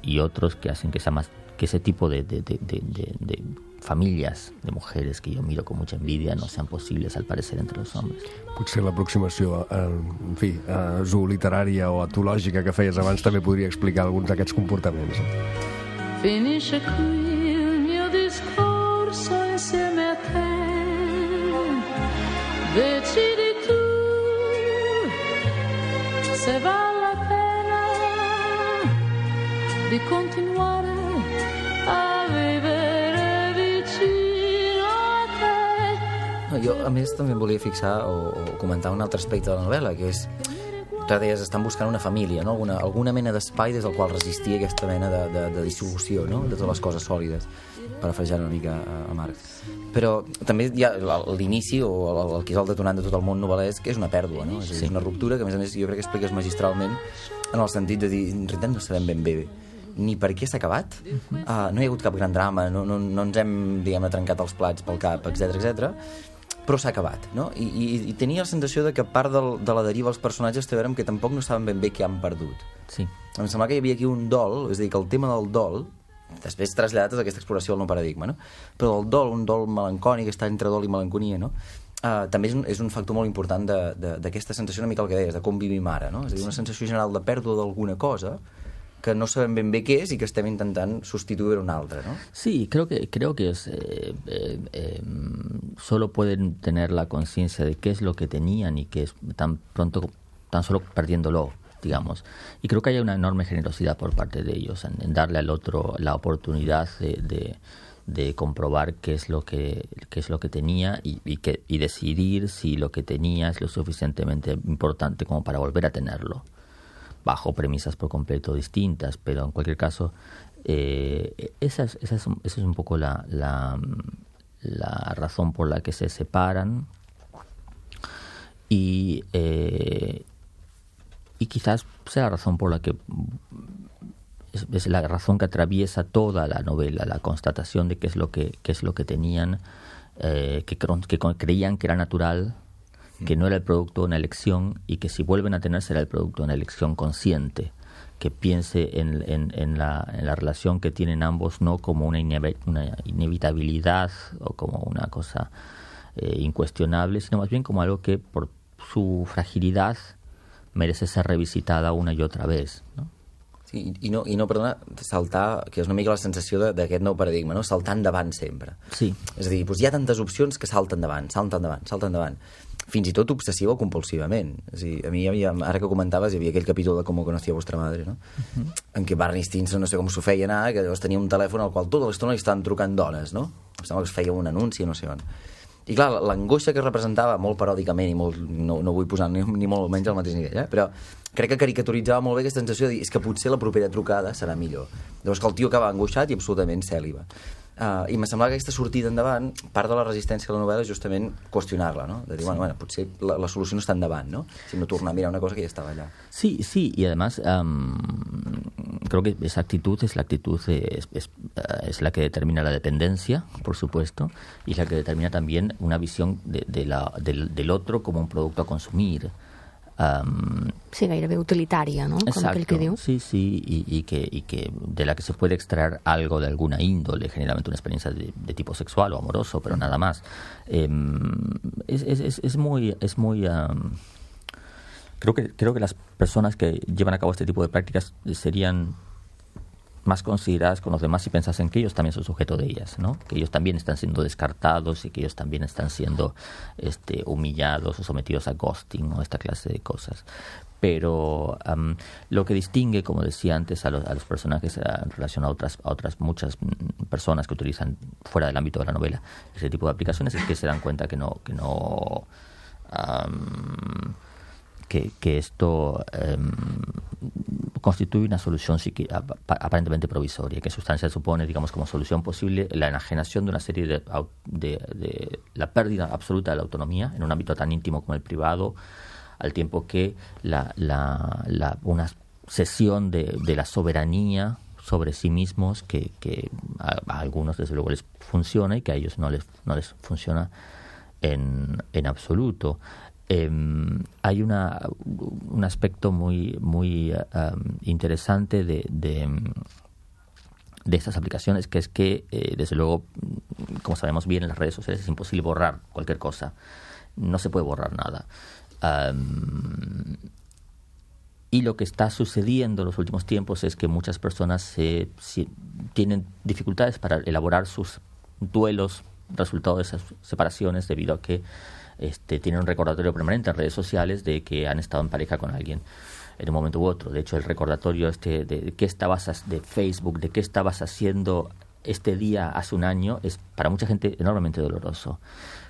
y otros que hacen que sea más que ese tipo de, de, de, de, de, de famílies de mujeres que jo miro con mucha envidia no sean possibles, al parecer, entre els homes. Potser l'aproximació, en fi, zooliterària o etològica que feies abans també podria explicar alguns d'aquests comportaments. Finisce qui il mio discorso insieme a te, decidi tu Bueno, jo a més també em volia fixar o, o comentar un altre aspecte de la novel·la, que és que deies, estan buscant una família, no? alguna, alguna mena d'espai des del qual resistir aquesta mena de, de, de dissolució, no? de totes les coses sòlides, parafrasejant una mica a, a Marx. Però també hi ha l'inici o el, el que és el detonant de tot el món novel·lesc, que és una pèrdua, no? És, sí. és una ruptura que a més a més jo crec que expliques magistralment en el sentit de dir, en realitat no sabem ben bé ni per què s'ha acabat, uh-huh. uh, no hi ha hagut cap gran drama, no, no, no ens hem, diguem-ne, trencat els plats pel cap, etcètera, etcètera, però s'ha acabat, no? I, i, i tenia la sensació de que part del, de la deriva dels personatges té a veure amb que tampoc no saben ben bé què han perdut. Sí. Em sembla que hi havia aquí un dol, és a dir, que el tema del dol, després traslladat a aquesta exploració del nou paradigma, no? Però el dol, un dol melancònic, està entre dol i melanconia, no? Uh, també és un, és un factor molt important d'aquesta sensació una mica el que deies, de com vivim ara, no? És a dir, una sensació general de pèrdua d'alguna cosa que no sabem ben bé què és i que estem intentant substituir per una altra, ¿no? Sí, creo que, creo que es, eh, eh, eh, solo pueden tener la conciencia de qué es lo que tenían y que es tan pronto, tan solo perdiéndolo, digamos. Y creo que hay una enorme generosidad por parte de ellos en, en darle al otro la oportunidad de, de, de comprobar qué es lo que, qué es lo que tenía y, y, que, y decidir si lo que tenía es lo suficientemente importante como para volver a tenerlo, bajo premisas por completo distintas, pero en cualquier caso eh, esa, es, esa, es, esa es un poco la, la, la razón por la que se separan y, eh, y quizás sea la razón por la que es, es la razón que atraviesa toda la novela, la constatación de qué es lo que, qué es lo que tenían, eh, que, que creían que era natural, que no era el producto de una elección y que si vuelven a tener será el producto de una elección consciente, que piense en, en, en, la, en la relación que tienen ambos no como una, inev- una inevitabilidad o como una cosa eh, incuestionable, sino más bien como algo que por su fragilidad merece ser revisitada una y otra vez, ¿no? Sí, i no, i no, perdona, saltar, que és una mica la sensació d'aquest nou paradigma, no? Saltar endavant sempre. Sí. És a dir, doncs hi ha tantes opcions que salten endavant, salten endavant, salten endavant. Fins i tot obsessiva o compulsivament. És a dir, a mi, hi havia, ara que comentaves, hi havia aquell capítol de Com conocía vuestra madre, no? Uh-huh. En què Barney Stinson, no sé com s'ho feia anar, que llavors tenia un telèfon al qual tota l'estona li estaven trucant dones, no? Em sembla que es feia un anunci, no sé on. I clar, l'angoixa que representava molt paròdicament i molt, no, no vull posar ni, ni molt menys al mateix nivell, eh? Però crec que caricaturitzava molt bé aquesta sensació de dir és que potser la propera trucada serà millor. Llavors que el tio acaba angoixat i absolutament cèl·liba. Uh, I me semblava que aquesta sortida endavant, part de la resistència de la novel·la és justament qüestionar-la, no? De dir, sí. bueno, bueno, potser la, la solució no està endavant, ¿no? Sino tornar a mirar una cosa que ya estaba allá. Sí, sí, y además um, creo que esa actitud es la actitud, de, es, es, es la que determina la dependencia, por supuesto, y es la que determina también una visión de, de la, del, del otro como un producto a consumir. Um, sí, gairebé utilitària, no? Com exacto, aquell que diu. sí, sí, y, y, que, y que de la que se puede extraer algo de alguna índole, generalmente una experiencia de, de tipo sexual o amoroso, pero nada más. Eh, es, es, es muy... Es muy um, creo que, creo que las personas que llevan a cabo este tipo de prácticas serían más consideradas con los demás si pensasen que ellos también son sujeto de ellas, ¿no? Que ellos también están siendo descartados y que ellos también están siendo este, humillados o sometidos a ghosting o esta clase de cosas. Pero um, lo que distingue, como decía antes, a los, a los personajes en relación a otras, a otras muchas personas que utilizan fuera del ámbito de la novela ese tipo de aplicaciones es que se dan cuenta que no... Que no um, Que, que esto eh, constituye una solución psiqui- aparentemente provisoria, que sustancia supone, digamos, como solución posible la enajenación de una serie de, de, de la pérdida absoluta de la autonomía en un ámbito tan íntimo como el privado, al tiempo que la, la, la, una cesión de, de la soberanía sobre sí mismos que, que a, a algunos desde luego les funciona y que a ellos no les, no les funciona en, en absoluto. Eh, hay una, un aspecto muy, muy um, interesante de, de, de estas aplicaciones, que es que, eh, desde luego, como sabemos bien, en las redes sociales es imposible borrar cualquier cosa. No se puede borrar nada. Um, y lo que está sucediendo en los últimos tiempos es que muchas personas se, se, tienen dificultades para elaborar sus duelos resultado de esas separaciones debido a que Este, tienen un recordatorio permanente en redes sociales de que han estado en pareja con alguien en un momento u otro. De hecho, el recordatorio este de, de qué estabas de Facebook, de qué estabas haciendo este día hace un año es para mucha gente enormemente doloroso.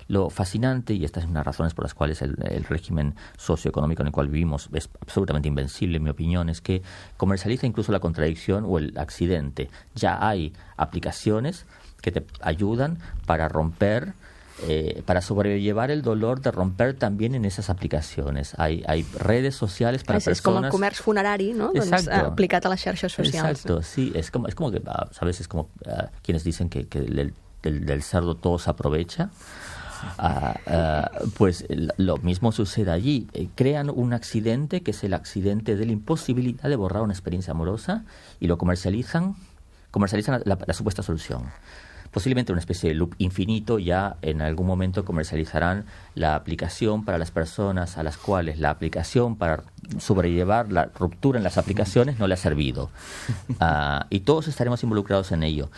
Lo fascinante, y estas son las razones por las cuales el, el régimen socioeconómico en el cual vivimos es absolutamente invencible, en mi opinión, es que comercializa incluso la contradicción o el accidente. Ya hay aplicaciones que te ayudan para romper, eh, para sobrellevar el dolor de romper también en esas aplicaciones. Hay, hay redes sociales para és, persones... És com el comerç funerari, no? Doncs, aplicat a les xarxes socials. Exacto, sí. Es como, es como que, ¿sabes? Es como uh, quienes dicen que, que del, del, del cerdo todo se aprovecha. Uh, uh, pues lo mismo sucede allí. Eh, crean un accidente que es el accidente de la imposibilidad de borrar una experiencia amorosa y lo comercializan, comercializan la, la, la supuesta solución. Posiblemente una especie de loop infinito. Ya en algún momento comercializarán la aplicación para las personas a las cuales la aplicación para sobrellevar la ruptura en las aplicaciones no le ha servido. Uh, y todos estaremos involucrados en ello.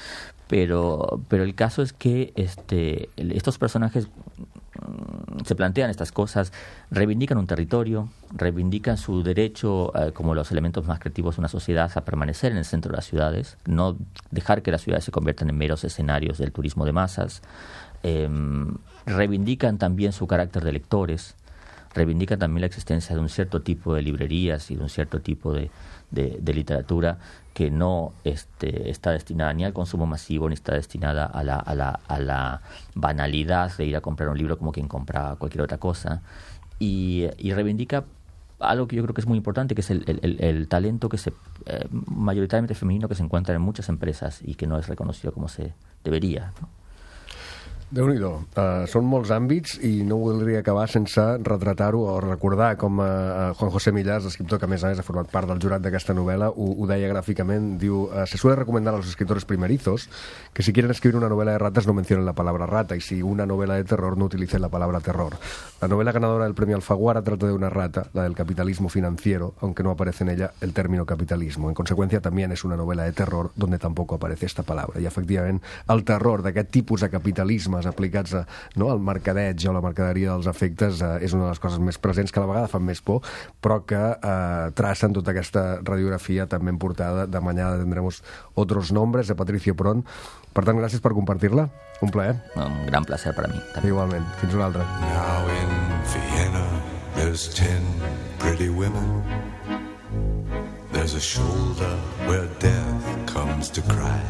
Pero, pero el caso es que este, estos personajes mmm, se plantean estas cosas, reivindican un territorio, reivindican su derecho, eh, como los elementos más creativos de una sociedad, a permanecer en el centro de las ciudades, no dejar que las ciudades se conviertan en meros escenarios del turismo de masas. Eh, reivindican también su carácter de lectores, reivindican también la existencia de un cierto tipo de librerías y de un cierto tipo de, de, de literatura que no este, está destinada ni al consumo masivo ni está destinada a la, a, la, a la banalidad de ir a comprar un libro como quien compra cualquier otra cosa, y, y reivindica algo que yo creo que es muy importante, que es el, el, el talento que se eh, mayoritariamente femenino que se encuentra en muchas empresas y que no es reconocido como se debería, ¿no? Déu-n'hi-do. Uh, són molts àmbits i no voldria acabar sense retratar-ho o recordar com uh, Juan José Millás, escriptor que a més a més ha format part del jurat d'aquesta novel·la, ho, ho deia gràficament, diu: uh, se suele recomendar a los escritores primerizos que si quieren escribir una novela de ratas no mencionen la palabra rata, y si una novela de terror no utilicen la palabra terror. La novela ganadora del premio Alfaguara trata de una rata, la del capitalismo financiero, aunque no aparece en ella el término capitalismo. En consecuencia, también es una novela de terror donde tampoco aparece esta palabra. I efectivament el terror d'aquest tipus de capitalisme aplicats a, no, al mercadeig o la mercaderia dels efectes eh, és una de les coses més presents, que a la vegada fan més por, però que eh, tracen tota aquesta radiografia tan ben portada de Mañana tendremos otros nombres, de Patricio Pron. Per tant, gràcies per compartir-la. Un plaer. Un gran placer per a mi. També. Igualment. Fins una altra. Now in Vienna there's ten pretty women. There's a shoulder where death comes to cry.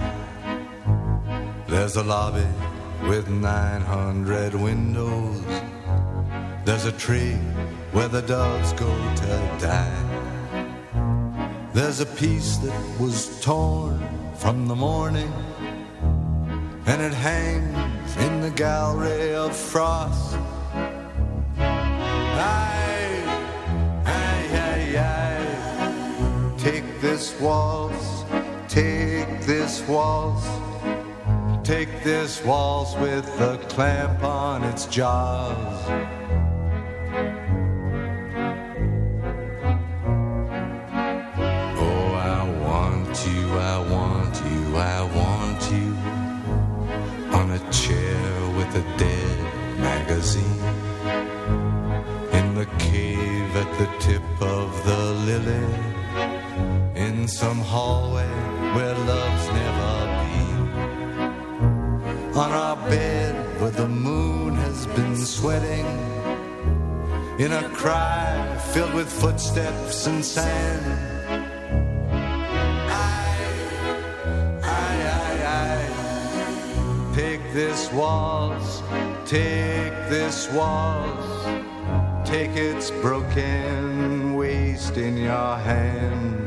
There's a lobby with nine hundred windows. There's a tree where the doves go to die. There's a piece that was torn from the morning, and it hangs in the gallery of frost. Aye, aye, aye, aye. Take this waltz, take this waltz. Take this waltz with the clamp on its jaws. Oh, I want you, I want you, I want you on a chair with a dead magazine, in the cave at the tip of the lily, in some hallway where love's never been, on our bed where the moon has been sweating, in a cry filled with footsteps and sand. I, I, I, I, take this waltz, take this waltz, take its broken waist in your hand.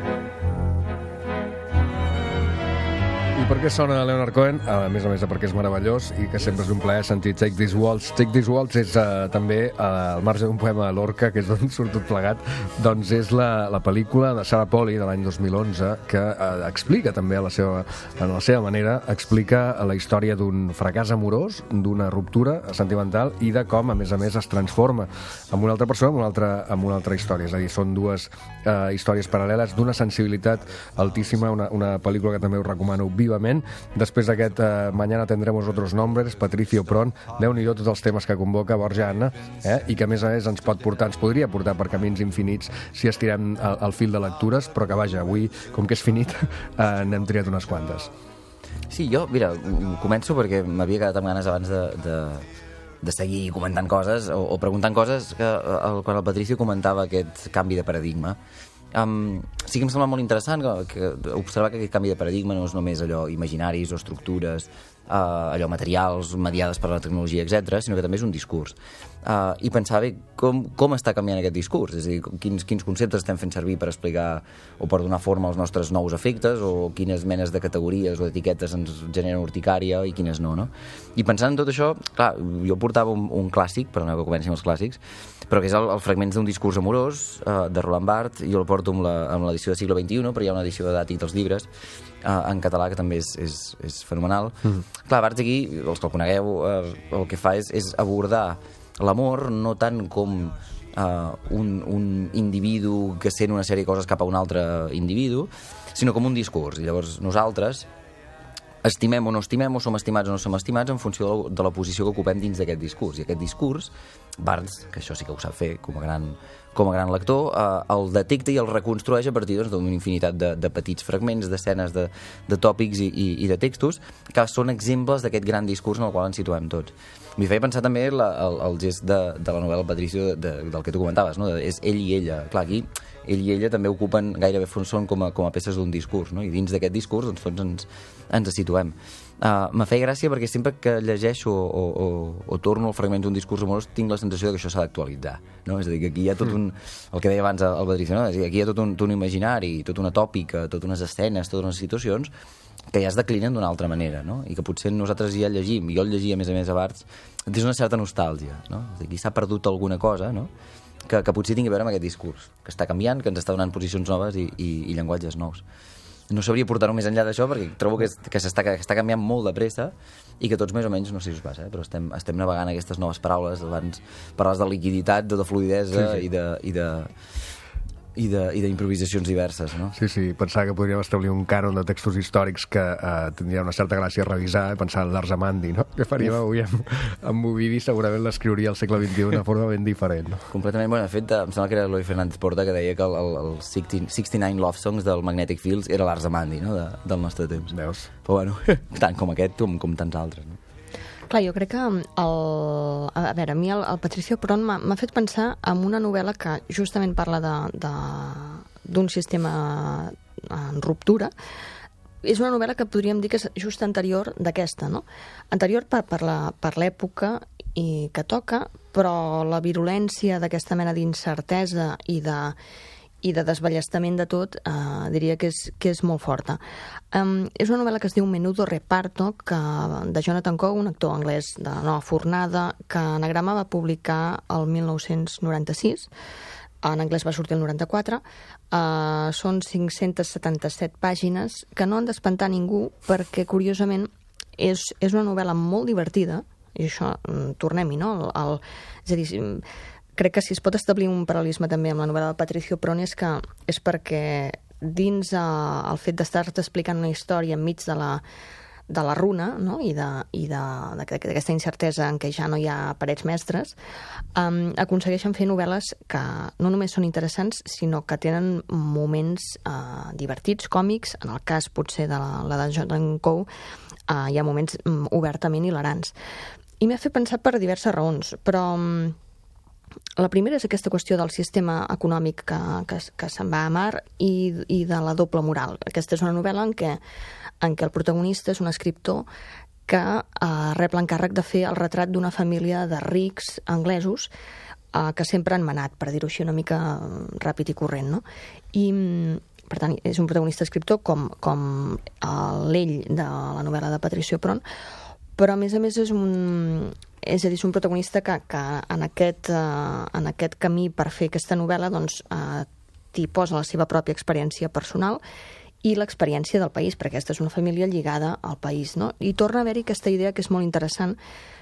I per què sona Leonard Cohen? A més a més de perquè és meravellós i que sempre és un plaer sentir Take This Waltz. Take This Waltz és uh, també, uh, al marge d'un poema de Lorca, que és d'on surt tot plegat, doncs és la, la pel·lícula de Sarah Polley de l'any dos mil onze que uh, explica també a la seva, a la seva manera, explica la història d'un fracàs amorós, d'una ruptura sentimental i de com, a més a més, es transforma en una altra persona, en una altra, en una altra història. És a dir, són dues uh, històries paral·leles d'una sensibilitat altíssima, una, una pel·lícula que també us recomano vivament. Després d'aquest eh, Mañana tendremos otros nombres, Patricio Pron, Déu-n'hi-do tots els temes que convoca Borja Anna, eh, i que a més a més ens pot portar, ens podria portar per camins infinits si estirem el, el fil de lectures, però que vaja, avui, com que és finit, eh, n'hem triat unes quantes. Sí, jo, mira, començo perquè m'havia quedat amb ganes abans de, de, de seguir comentant coses o, o preguntant coses que el, quan el Patricio comentava aquest canvi de paradigma. Um, sí que em sembla molt interessant que, que observar que aquest canvi de paradigma no és només allò imaginaris o estructures, uh, allò materials, mediades per la tecnologia, etcètera, sinó que també és un discurs. Uh, I pensar bé com, com està canviant aquest discurs, és a dir, quins, quins conceptes estem fent servir per explicar o per donar forma als nostres nous efectes, o quines menes de categories o d'etiquetes ens generen urticària i quines no, no? I pensant en tot això, clar, jo portava un, un clàssic, perdoneu que comenci amb els clàssics, però que és el, el fragments d'un discurs amorós uh, de Roland Barthes. Jo el porto amb la, amb l'edició de segle vint-i-u, però hi ha una edició de Dàtic dels llibres uh, en català que també és, és, és fenomenal. Mm-hmm. Clar, Barthes aquí, els que el conegueu, uh, el que fa és, és abordar l'amor no tant com uh, un, un individu que sent una sèrie de coses cap a un altre individu, sinó com un discurs. I llavors nosaltres estimem o no estimem, o som estimats o no som estimats en funció de la, de la posició que ocupem dins d'aquest discurs. I aquest discurs, Barthes, que això sí que ho sap fer com a gran, com a gran lector, eh, el detecta i el reconstrueix a partir doncs, d'una infinitat de, de petits fragments, d'escenes, de, de tòpics i, i, i de textos, que són exemples d'aquest gran discurs en el qual ens situem tots. M'hi feia pensar també la, el, el gest de, de la novel·la Patricio, de, de, del que tu comentaves, no? És ell i ella. Clar, aquí ell i ella també ocupen, gairebé són com a, com a peces d'un discurs, no? I dins d'aquest discurs doncs, tots ens, ens situem. Uh, me feia gràcia perquè sempre que llegeixo o, o, o, o torno al fragment d'un discurs amorós tinc la sensació que això s'ha d'actualitzar, no? És a dir, que aquí hi ha tot un... el que deia abans el Patricio, no? És a dir, aquí hi ha tot un, tot un imaginari, tota una tòpica, totes unes escenes, totes unes situacions que ja es declinen d'una altra manera, no? I que potser nosaltres ja llegim, jo el llegia a més a més a Barthes, és una certa nostàlgia, no? És a dir, aquí s'ha perdut alguna cosa, no? Que, que potser tingui a veure amb aquest discurs, que està canviant, que ens està donant posicions noves i, i, i llenguatges nous. No sabria portar-ho més enllà d'això perquè trobo que, que, s'està, que està canviant molt de pressa i que tots més o menys, no sé si us passa, eh, però estem, estem navegant aquestes noves paraules. Abans parlaves de liquiditat, de, de fluïdesa sí, sí. i de... I de i d'improvisacions diverses, no? Sí, sí, pensava que podríem establir un cànon de textos històrics que eh, tindria una certa gràcia a revisar, eh? Pensar en l'Arsamandi, no? Què faríem avui amb, amb Ovidi? Segurament l'escriuria al segle vint-i-u d'una forma ben diferent, no? Completament, bueno, de fet, em sembla que era Eloi Fernández Porta que deia que el, el, el seixanta-nou Love Songs del Magnetic Fields era l'Arsamandi, no?, de, del nostre temps. Veus? Però bueno, tant com aquest com, com tants altres, no? Clar, jo crec que el, a veure, a mi el, el Patricio Pron m'ha fet pensar en una novel·la que justament parla de, de, d'un sistema en ruptura. És una novel·la que podríem dir que és just anterior d'aquesta, no? Anterior per, per, la, per l'època i que toca, però la virulència d'aquesta mena d'incertesa i de i de desballestament de tot, eh, diria que és, que és molt forta. Um, és una novel·la que es diu Menudo Reparto, que, de Jonathan Coe, un actor anglès de nova fornada, que Anagrama va publicar el mil nou-cents noranta-sis, en anglès va sortir el noranta-quatre, uh, són cinc-centes setanta-set pàgines que no han d'espantar ningú perquè, curiosament, és, és una novel·la molt divertida, i això, tornem-hi, no? El, el, és a dir, crec que si es pot establir un paral·lelisme també amb la novel·la de Patricio Pron és que és perquè dins eh, el fet d'estar-te explicant una història enmig de la, de la runa, no? i d'aquesta incertesa en què ja no hi ha parets mestres, um, aconsegueixen fer novel·les que no només són interessants, sinó que tenen moments uh, divertits, còmics. En el cas potser de la, la de Jonathan Coe uh, hi ha moments um, obertament hilarants. I m'ha fet pensar per diverses raons, però... Um, La primera és aquesta qüestió del sistema econòmic que, que, que se'n va a mar i, i de la doble moral. Aquesta és una novel·la en què, en què el protagonista és un escriptor que eh, rep l'encàrrec de fer el retrat d'una família de rics anglesos eh, que sempre han manat, per dir-ho així una mica ràpid i corrent, no? I, per tant, és un protagonista escriptor com, com l'ell de la novel·la de Patricio Pron, però a més a més és un... És a dir, és un protagonista que, que en, aquest, uh, en aquest camí per fer aquesta novel·la doncs, uh, t'hi posa la seva pròpia experiència personal i l'experiència del país, perquè aquesta és una família lligada al país, no? I torna a haver-hi aquesta idea que és molt interessant,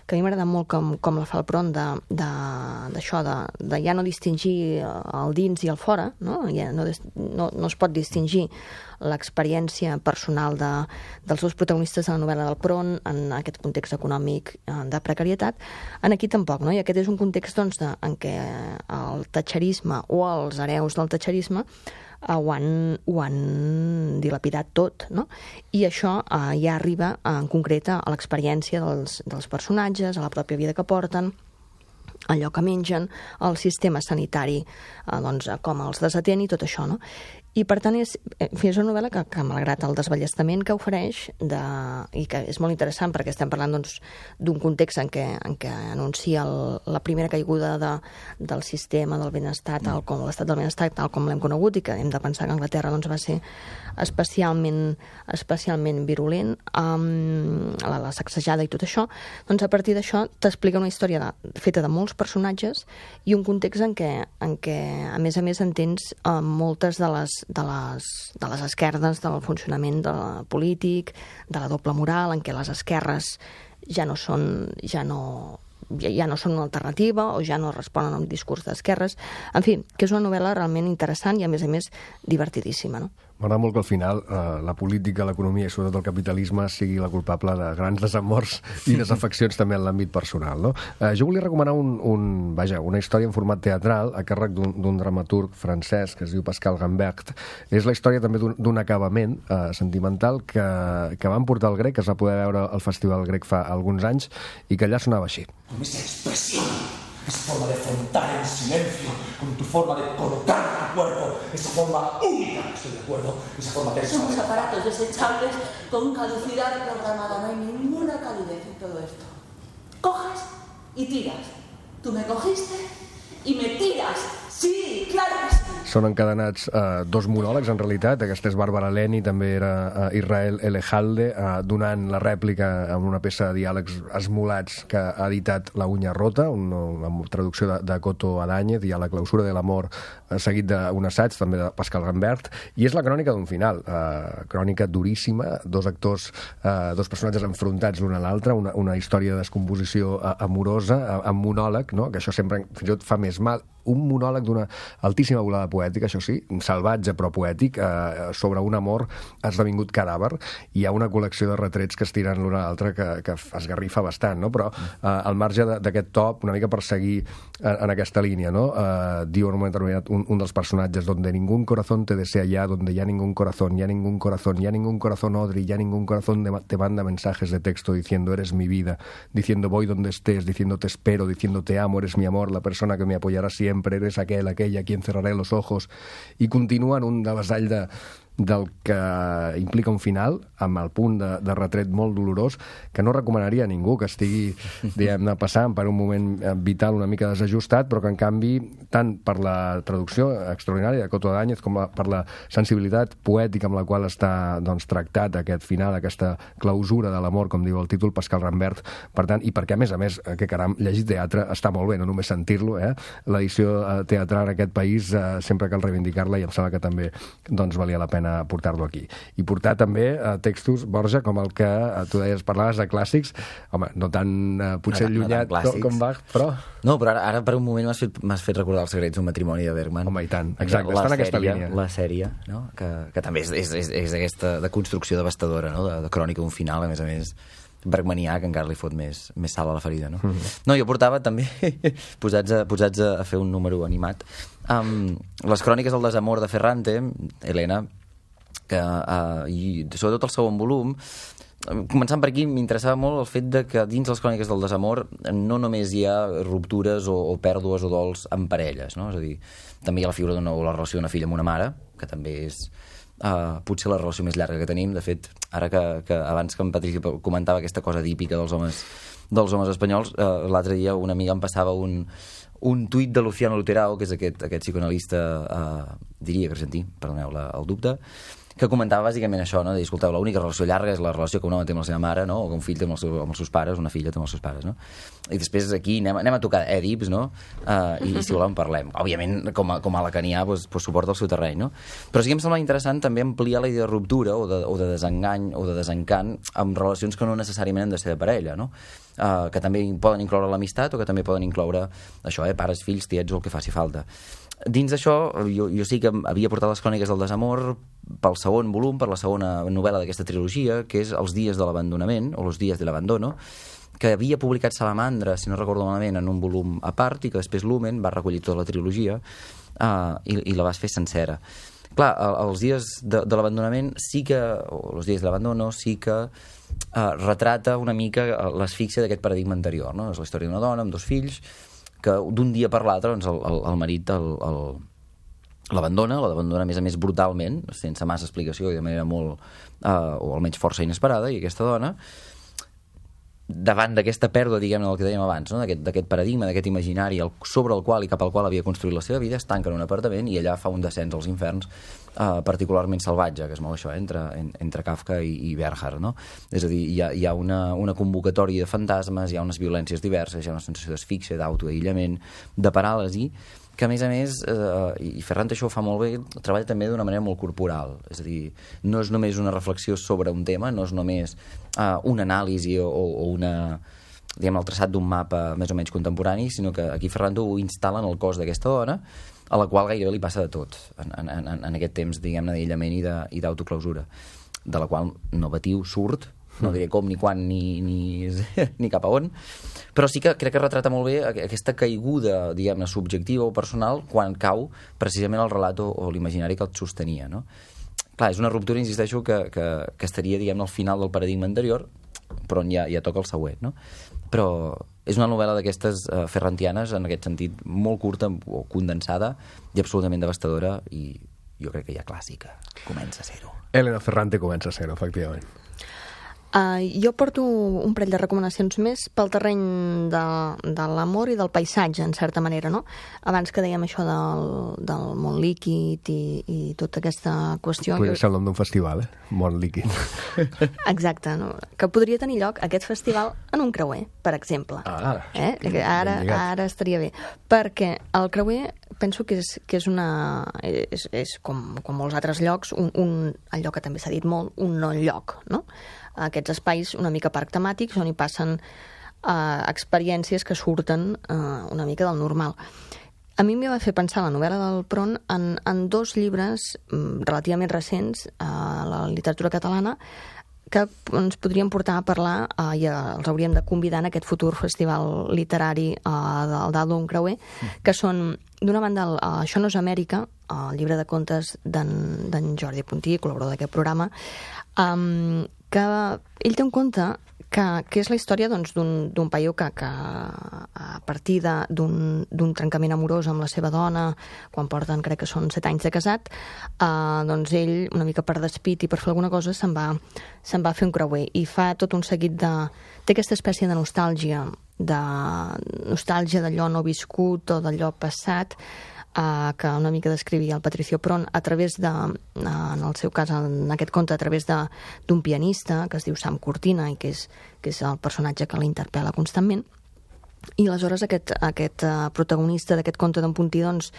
que a mi m'agrada molt com, com la fa el Pron, d'això, de, de, de ja no distingir el dins i el fora, no? Ja no, no, no es pot distingir l'experiència personal de, dels dos protagonistes de la novel·la del Pron en aquest context econòmic de precarietat. En aquí tampoc, no? I aquest és un context doncs, de, en què el tatxerisme o els hereus del tatxerisme uh, ho, han, ho han dilapidat tot, no? I això uh, ja arriba uh, en concret a l'experiència dels, dels personatges, a la pròpia vida que porten, allò que mengen, el sistema sanitari eh, doncs, com els desatén i tot això, no? I, per tant, és, és una novel·la que, que malgrat el desballestament que ofereix, de, i que és molt interessant perquè estem parlant doncs, d'un context en què, en què anuncia el, la primera caiguda de, del sistema del benestar, tal com l'estat del benestar, tal com l'hem conegut, i que hem de pensar que Anglaterra doncs, va ser especialment, especialment virulent, um, la, la sacsejada i tot això, doncs a partir d'això t'explica una història de, feta de molts personatges i un context en què, en què a més a més entens uh, moltes de les de les, de les esquerdes, del funcionament de polític, de la doble moral, en què les esquerres ja no són, ja no, ja, ja no són una alternativa o ja no responen a un discurs d'esquerres. En fi, que és una novel·la realment interessant i, a més a més, divertidíssima, no? M'agrada molt que al final eh, la política, l'economia i sobretot el capitalisme sigui la culpable de grans desamors i desafeccions també en l'àmbit personal, no? Eh, jo volia recomanar un, un, vaja, una història en format teatral a càrrec d'un dramaturg francès que es diu Pascal Gambert. És la història també d'un acabament eh, sentimental que, que van portar al grec, que es va poder veure al Festival Grec fa alguns anys i que allà sonava així. Con esa expresión, esa forma de afrontar en silencio, con tu forma de colocar tu cuerpo, esa forma única, estoy de acuerdo, esa forma de... Somos aparatos desechables con caducidad programada, no hay ninguna calidez en todo esto. Coges y tiras. Tú me cogiste y me tiras. Sí, claro que sí. Són encadenats eh, dos monòlegs, en realitat. Aquesta és Bàrbara Leni, també era eh, Israel Elejalde, eh, donant la rèplica en una peça de diàlegs esmolats que ha editat La uña rota, una, una traducció de, de Coto Adáñez, i a La clausura de l'amor, eh, seguit d'un assaig, també de Pascal Gambert, i és la crònica d'un final, eh, crònica duríssima, dos actors, eh, dos personatges enfrontats l'un a l'altre, una, una història de descomposició eh, amorosa, eh, amb monòleg, no? Que això sempre fins i tot fa més mal, un monòleg d'una altíssima volada poètica, això sí, salvatge però poètic, eh, sobre un amor esdevingut cadàver. Hi ha una col·lecció de retrets que es tiren l'un a l'altre que, que esgarrifa bastant, no? Però eh, al marge d'aquest top, una mica per seguir en, en aquesta línia, no? Eh, diu en un moment determinat un, un dels personatges, donde ningún corazón te desea ya, donde ya ningún corazón, ya ningún corazón, ya ningún corazón odri, ya ningún corazón de, te manda mensajes de texto diciendo eres mi vida, diciendo voy donde estés, diciendo te espero, diciendo te amo, eres mi amor, la persona que me apoyará siempre, eres aquel, aquella a quien cerraré los ojos, i continua en un devessall de, del que implica un final, amb el punt de, de retret molt dolorós, que no recomanaria a ningú que estigui, diguem-ne, passant per un moment vital una mica desajustat, però que, en canvi, tant per la traducció extraordinària de Coto Adáñez com la, per la sensibilitat poètica amb la qual està doncs, tractat aquest final, aquesta clausura de l'amor, com diu el títol, Pascal Gambert, per tant, i perquè, a més a més, que caram, llegir teatre està molt bé, no només sentir-lo, eh? L'edició teatral en aquest país eh, sempre cal reivindicar-la i em sembla que també doncs, valia la pena portar-lo aquí. I portar també eh, textos, Borja, com el que eh, tu deies, parlaves de clàssics, home, no tan eh, potser no, allunyat no com, com Bach, però... No, però ara, ara per un moment m'has fet, fet recordar Els secrets d'un matrimoni de Bergman. Home, i tant, exacte, està en aquesta línia. La sèrie, no? que, que també és, és, és, és aquesta de construcció devastadora, no? de, de crònica d'un final, a més a més, bergmanià, que encara li fot més, més sal a la ferida, no? Mm -hmm. No, jo portava també, posats, a, posats a fer un número animat, um, les cròniques del desamor de Ferrante, Helena, que, uh, i sobretot el segon volum, començant per aquí, m'interessava molt el fet de que dins les cròniques del desamor no només hi ha ruptures o, o pèrdues o dols en parelles, no? És a dir, també hi ha la figura d'una, o la relació d'una filla amb una mare, que també és uh, potser la relació més llarga que tenim. De fet, ara que, que abans que en Patrici comentava aquesta cosa típica dels homes, dels homes espanyols, uh, l'altre dia una amiga em passava un, un tuit de Luciano Luterao, que és aquest, aquest psicoanalista, uh, diria que argentí, perdoneu la, el dubte, que comentava bàsicament això, no? De dir, escolteu, l'única relació llarga és la relació que un home té amb la seva mare, no? O que un fill té amb els, seus, amb els seus pares, una filla té amb els seus pares, no? I després aquí anem, anem a tocar Èdips, no? Uh, i, i si volem parlem. Òbviament, com a, com a lacanià, pues, pues suporta el seu terreny, no? Però sí que em sembla interessant també ampliar la idea de ruptura o de, o de desengany o de desencant amb relacions que no necessàriament han de ser de parella, no? Uh, que també poden incloure l'amistat o que també poden incloure això, eh? Pares, fills, tiets o el que faci falta. Dins d'això, jo, jo sí que havia portat les cròniques del desamor pel segon volum, per la segona novel·la d'aquesta trilogia, que és Els dies de l'abandonament, o Los días del abandono, que havia publicat Salamandra, si no recordo malament, en un volum a part, i que després Lumen va recollir tota la trilogia uh, i, i la vas fer sencera. clar, els dies de, de l'abandonament sí que, o els dies de l'abandono sí que eh, retrata una mica l'asfíxia d'aquest paradigma anterior, no? És la història d'una dona amb dos fills que d'un dia per l'altre doncs, el, el, el marit el, el, l'abandona, l'abandona a més a més brutalment, sense massa explicació i de manera molt, eh, o almenys força inesperada, i aquesta dona, davant d'aquesta pèrdua, diguem-ne, del que dèiem abans, no? d'aquest paradigma, d'aquest imaginari el, sobre el qual i cap al qual havia construït la seva vida, es tanca en un apartament i allà fa un descens als inferns eh, particularment salvatge, que es mou això, eh, entre, en, entre Kafka i, i Bernhard, no? És a dir, hi ha, hi ha una, una convocatòria de fantasmes, hi ha unes violències diverses, hi ha una sensació d'asfíxia, d'autoaïllament, de paràlisi, que a més a més, eh, i Ferrante això ho fa molt bé, treballa també d'una manera molt corporal, és a dir, no és només una reflexió sobre un tema, no és només eh, una anàlisi o, o una, diguem, el traçat d'un mapa més o menys contemporani, sinó que aquí Ferrante ho instal·la en el cos d'aquesta dona, a la qual gairebé li passa de tot en, en, en, en aquest temps, diguem-ne, d'aïllament i d'autoclausura, de la qual Novatiu surt, no diré com, ni quan, ni, ni, ni cap a on, però sí que crec que retrata molt bé aquesta caiguda, diguem-ne, subjectiva o personal quan cau precisament el relat o, o l'imaginari que el sostenia, no? Clar, és una ruptura, insisteixo, que, que, que estaria, diguem-ne, al final del paradigma anterior, però ja, ja toca el següent, no? Però és una novel·la d'aquestes uh, ferrantianes, en aquest sentit, molt curta o condensada i absolutament devastadora, i jo crec que ja clàssica. Comença a ser-ho. Elena Ferrante comença a ser-ho, efectivament. Uh, jo porto un parell de recomanacions més pel terreny de, de l'amor i del paisatge, en certa manera, no? Abans que dèiem això del, del món líquid i, i tota aquesta qüestió... Podria ser el nom d'un festival, eh? Món líquid. Exacte, no? Que podria tenir lloc aquest festival en un creuer, per exemple. Ah, eh? Ara, ara estaria bé. Perquè el creuer penso que és, que és una... És, és com, com molts altres llocs, un, un, el lloc que també s'ha dit molt, un no lloc, no? Aquests espais una mica parc temàtics on hi passen eh, experiències que surten eh, una mica del normal. A mi m'hi va fer pensar la novel·la del Pron en, en dos llibres mm, relativament recents a eh, la literatura catalana que ens podrien portar a parlar eh, i els hauríem de convidar en aquest futur festival literari eh, del dalt d'un creuer, que són, d'una banda, el, uh, Això no és Amèrica, el llibre de contes d'en Jordi Puntí, col·laborador d'aquest programa, um, que ell té un conte que, que és la història doncs, d'un paio que, que a partir d'un trencament amorós amb la seva dona, quan porten, crec que són set anys de casat, eh, doncs ell, una mica per despit i per fer alguna cosa, se'n va, se'n va fer un creuer i fa tot un seguit de... té aquesta espècie de nostàlgia, de nostàlgia d'allò no viscut o d'allò passat, Uh, que una mica descrivia el Patricio Pron a través de, uh, en el seu cas, en aquest conte, a través d'un pianista que es diu Sam Cortina i que és, que és el personatge que l'interpel·la constantment. I aleshores aquest, aquest uh, protagonista d'aquest conte d'en Puntí doncs,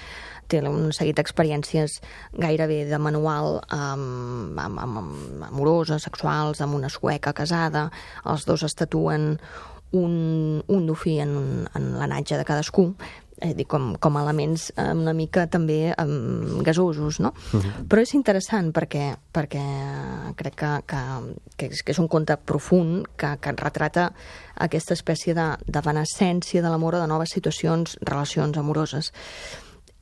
té un seguit d'experiències gairebé de manual, um, amb, amb, amb amoroses, sexuals, amb una sueca casada. Els dos es tatuen un, un dofí en, en l'anatge de cadascú, és dir, com, com elements una mica també um, gasosos, no? Uh-huh. Però és interessant perquè, perquè crec que, que, que, és, que és un conte profund que, que retrata aquesta espècie de, de venescència de l'amor o de noves situacions, relacions amoroses.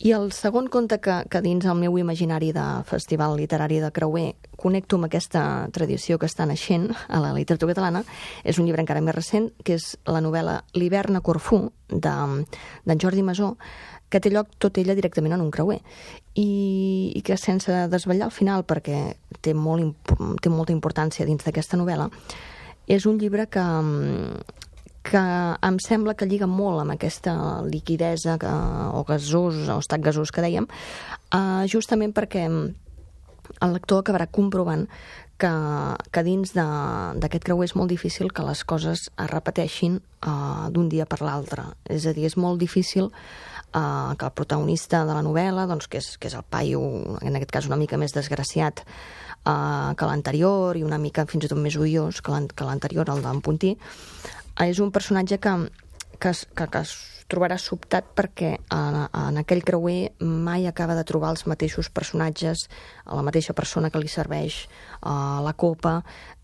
I el segon conte que, que dins el meu imaginari de festival literari de creuer connecto amb aquesta tradició que està naixent a la literatura catalana és un llibre encara més recent, que és la novel·la L'hivern a Corfú, d'en Jordi Masó, que té lloc tot ella directament en un creuer. I, i que sense desvetllar al final, perquè té, molt, té molta importància dins d'aquesta novel·la, és un llibre que... que em sembla que lliga molt amb aquesta liquidesa que, o gasós, o estat gasós que dèiem, uh, justament perquè el lector acabarà comprovant que, que dins d'aquest creuer és molt difícil que les coses es repeteixin uh, d'un dia per l'altre. És a dir, és molt difícil uh, que el protagonista de la novel·la, doncs, que, és, que és el paio, en aquest cas una mica més desgraciat uh, que l'anterior i una mica fins i tot més odiós que l'anterior, el d'en Puntí, és un personatge que, que, que, que es trobarà sobtat perquè en, en aquell creuer mai acaba de trobar els mateixos personatges, la mateixa persona que li serveix uh, la copa,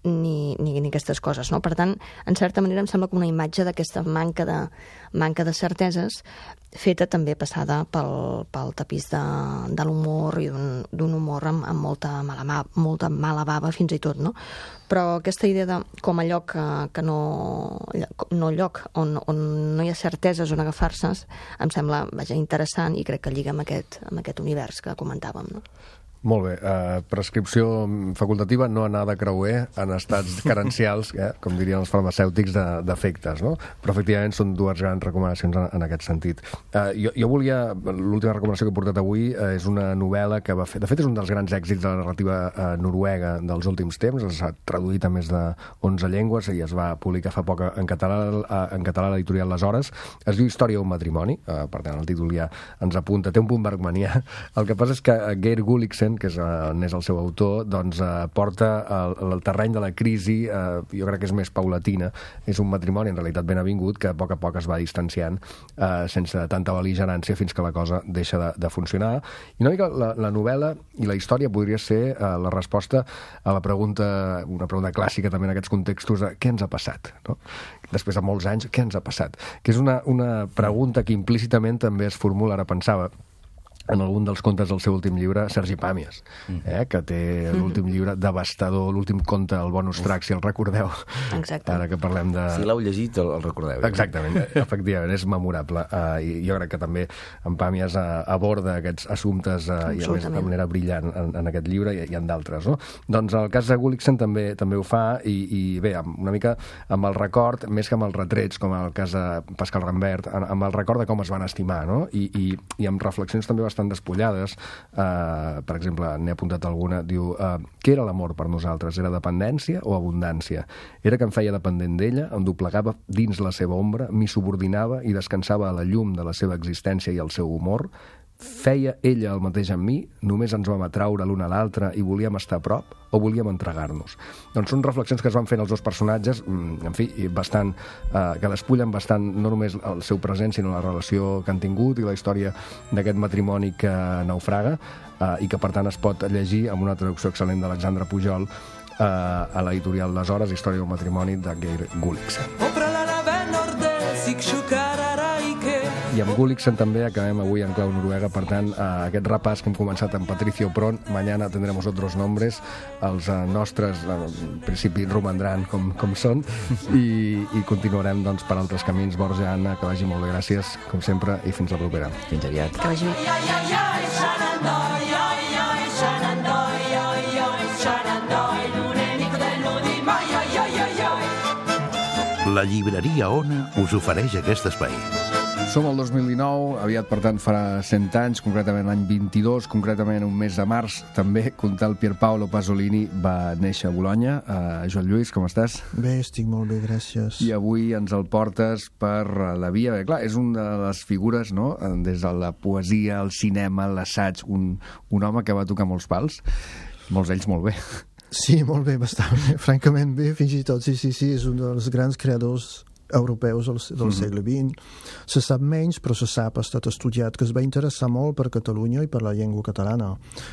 ni, ni, ni aquestes coses, no? Per tant, en certa manera em sembla que una imatge d'aquesta manca de, manca de certeses feta també passada pel, pel tapís de, de l'humor i d'un humor amb, amb molta, mala, molta mala bava fins i tot, no? Però aquesta idea de com a lloc que, que no, no lloc on, on no hi ha certeses on agafar-se em sembla, vaja, interessant i crec que lliga amb aquest, amb aquest univers que comentàvem, no? Molt bé. Uh, prescripció facultativa, no anar de creuer en estats carencials, eh, com dirien els farmacèutics, d'efectes, no? Però, efectivament, són dues grans recomanacions en, en aquest sentit. Uh, jo, jo volia... L'última recomanació que he portat avui uh, és una novel·la que va fer... De fet, és un dels grans èxits de la narrativa uh, noruega dels últims temps. S'ha traduït a més de onze llengües i es va publicar fa poc en català, uh, en català a l'editorial Les Hores. Es diu Història d'un matrimoni. Uh, per tant, el títol ja ens apunta. Té un punt bergmanià. El que passa és que Geir Gulliksen, que és, uh, n'és el seu autor, doncs uh, porta el, el terreny de la crisi, uh, jo crec que és més paulatina. És un matrimoni, en realitat, ben avingut, que a poc a poc es va distanciant uh, sense tanta bel·ligerància fins que la cosa deixa de, de funcionar. I una mica la, la novel·la i la història podria ser uh, la resposta a la pregunta, una pregunta clàssica també en aquests contextos de què ens ha passat, no? Després de molts anys, què ens ha passat? Que és una, una pregunta que implícitament també es formula, ara pensava, en algun dels contes del seu últim llibre, Sergi Pàmies, eh, que té l'últim llibre devastador, l'últim conte, el Bonus Track, si el recordeu. Exacte. Ara que parlem de... Si l'heu llegit, el, el recordeu. Eh? Exactament, efectivament, és memorable. Uh, I jo crec que també en Pàmies uh, aborda aquests assumptes uh, i a més de manera brillant en, en aquest llibre i, i en d'altres, no? Doncs el cas de Gulliksen també també ho fa i, i bé, una mica amb el record, més que amb els retrets, com el cas de Pascal Rambert, amb el record de com es van estimar, no? I, i, i amb reflexions també bastant bastant despullades. Uh, per exemple, n'he apuntat alguna, diu, uh, què era l'amor per nosaltres? Era dependència o abundància? Era que em feia dependent d'ella, em doblegava dins la seva ombra, m'hi subordinava i descansava a la llum de la seva existència i el seu humor? Feia ella el mateix amb mi? Només ens vam atraure l'un a l'altre i volíem estar a prop? O volíem entregar-nos? Doncs són reflexions que es van fent els dos personatges, en fi, bastant, eh, que despullen bastant no només el seu present, sinó la relació que han tingut i la història d'aquest matrimoni que naufraga, eh, i que per tant es pot llegir amb una traducció excel·lent d'Alexandre Pujol eh, a l'editorial Les Hores, Història d'un matrimoni de Geir Gulliksen. I amb Gulliksen també acabem avui en clau noruega, per tant, eh, aquest repàs que hem començat amb Patricio Pron, mañana tendremos otros nombres, els eh, nostres, eh, en principi, romandran com, com són, i, i continuarem doncs, per altres camins. Borja, Anna, que vagi molt bé, gràcies, com sempre, i fins la propera. Fins aviat. Que vagi bé. La llibreria Ona us ofereix aquest espai. Som al dos mil dinou, aviat, per tant, farà cent anys, concretament l'any vint-i-dos, concretament un mes de març, també, Contal Pierpaolo Pasolini va néixer a Bolonya. Uh, Joan Lluís, com estàs? Bé, estic molt bé, gràcies. I avui ens el portes per la via... Bé, clar, és una de les figures, no?, des de la poesia, el cinema, l'assaig, un, un home que va tocar molts pals, molts d'ells molt bé. Sí, molt bé, bastant bé, francament bé, fins i tot, sí, sí, sí, és un dels grans creadors europeus del, del mm-hmm. segle vint. Se sap menys, però se sap, ha estat estudiat, que es va interessar molt per Catalunya i per la llengua catalana.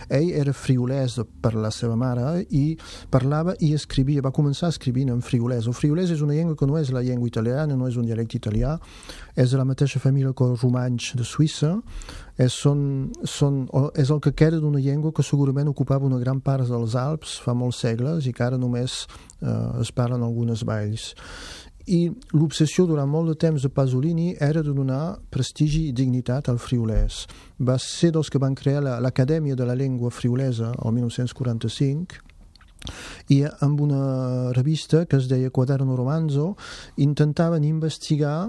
Ell era friolès per la seva mare i parlava i escrivia, va començar escrivint en friolès. El friolès és una llengua que no és la llengua italiana, no és un dialecte italià, és de la mateixa família que el romanx de Suïssa, és, són, són, és el que queda d'una llengua que segurament ocupava una gran part dels Alps fa molts segles i que ara només eh, es parlen algunes valls. I l'obsessió durant molt de temps de Pasolini era de donar prestigi i dignitat al friolès. Va ser dels que van crear l'Acadèmia de la Llengua Friolesa el dinou quaranta-cinc i amb una revista que es deia Quaderno Romanzo intentaven investigar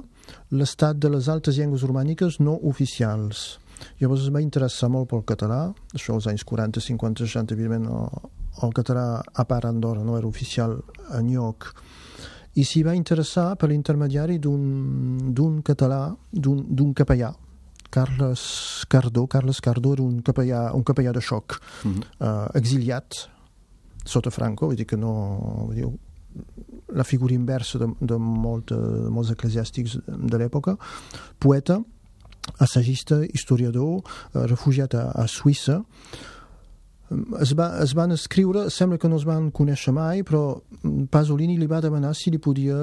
l'estat de les altres llengües romàniques no oficials. Llavors es va interessar molt pel català, això als anys quaranta, cinquanta, seixanta, evidentment el català a part Andorra no era oficial enlloc, i s'hi va interessar per l'intermediari d'un català, d'un capellà, Carles Cardó. Carles Cardó era un capellà, un capellà de xoc, mm-hmm. uh, exiliat sota Franco, vull dir que no... Vull dir, la figura inversa de, de, molt, de molts eclesiàstics de l'època, poeta, assagista, historiador, uh, refugiat a, a Suïssa, es, va, es van escriure, sembla que no es van conèixer mai, però Pasolini li va demanar si li podia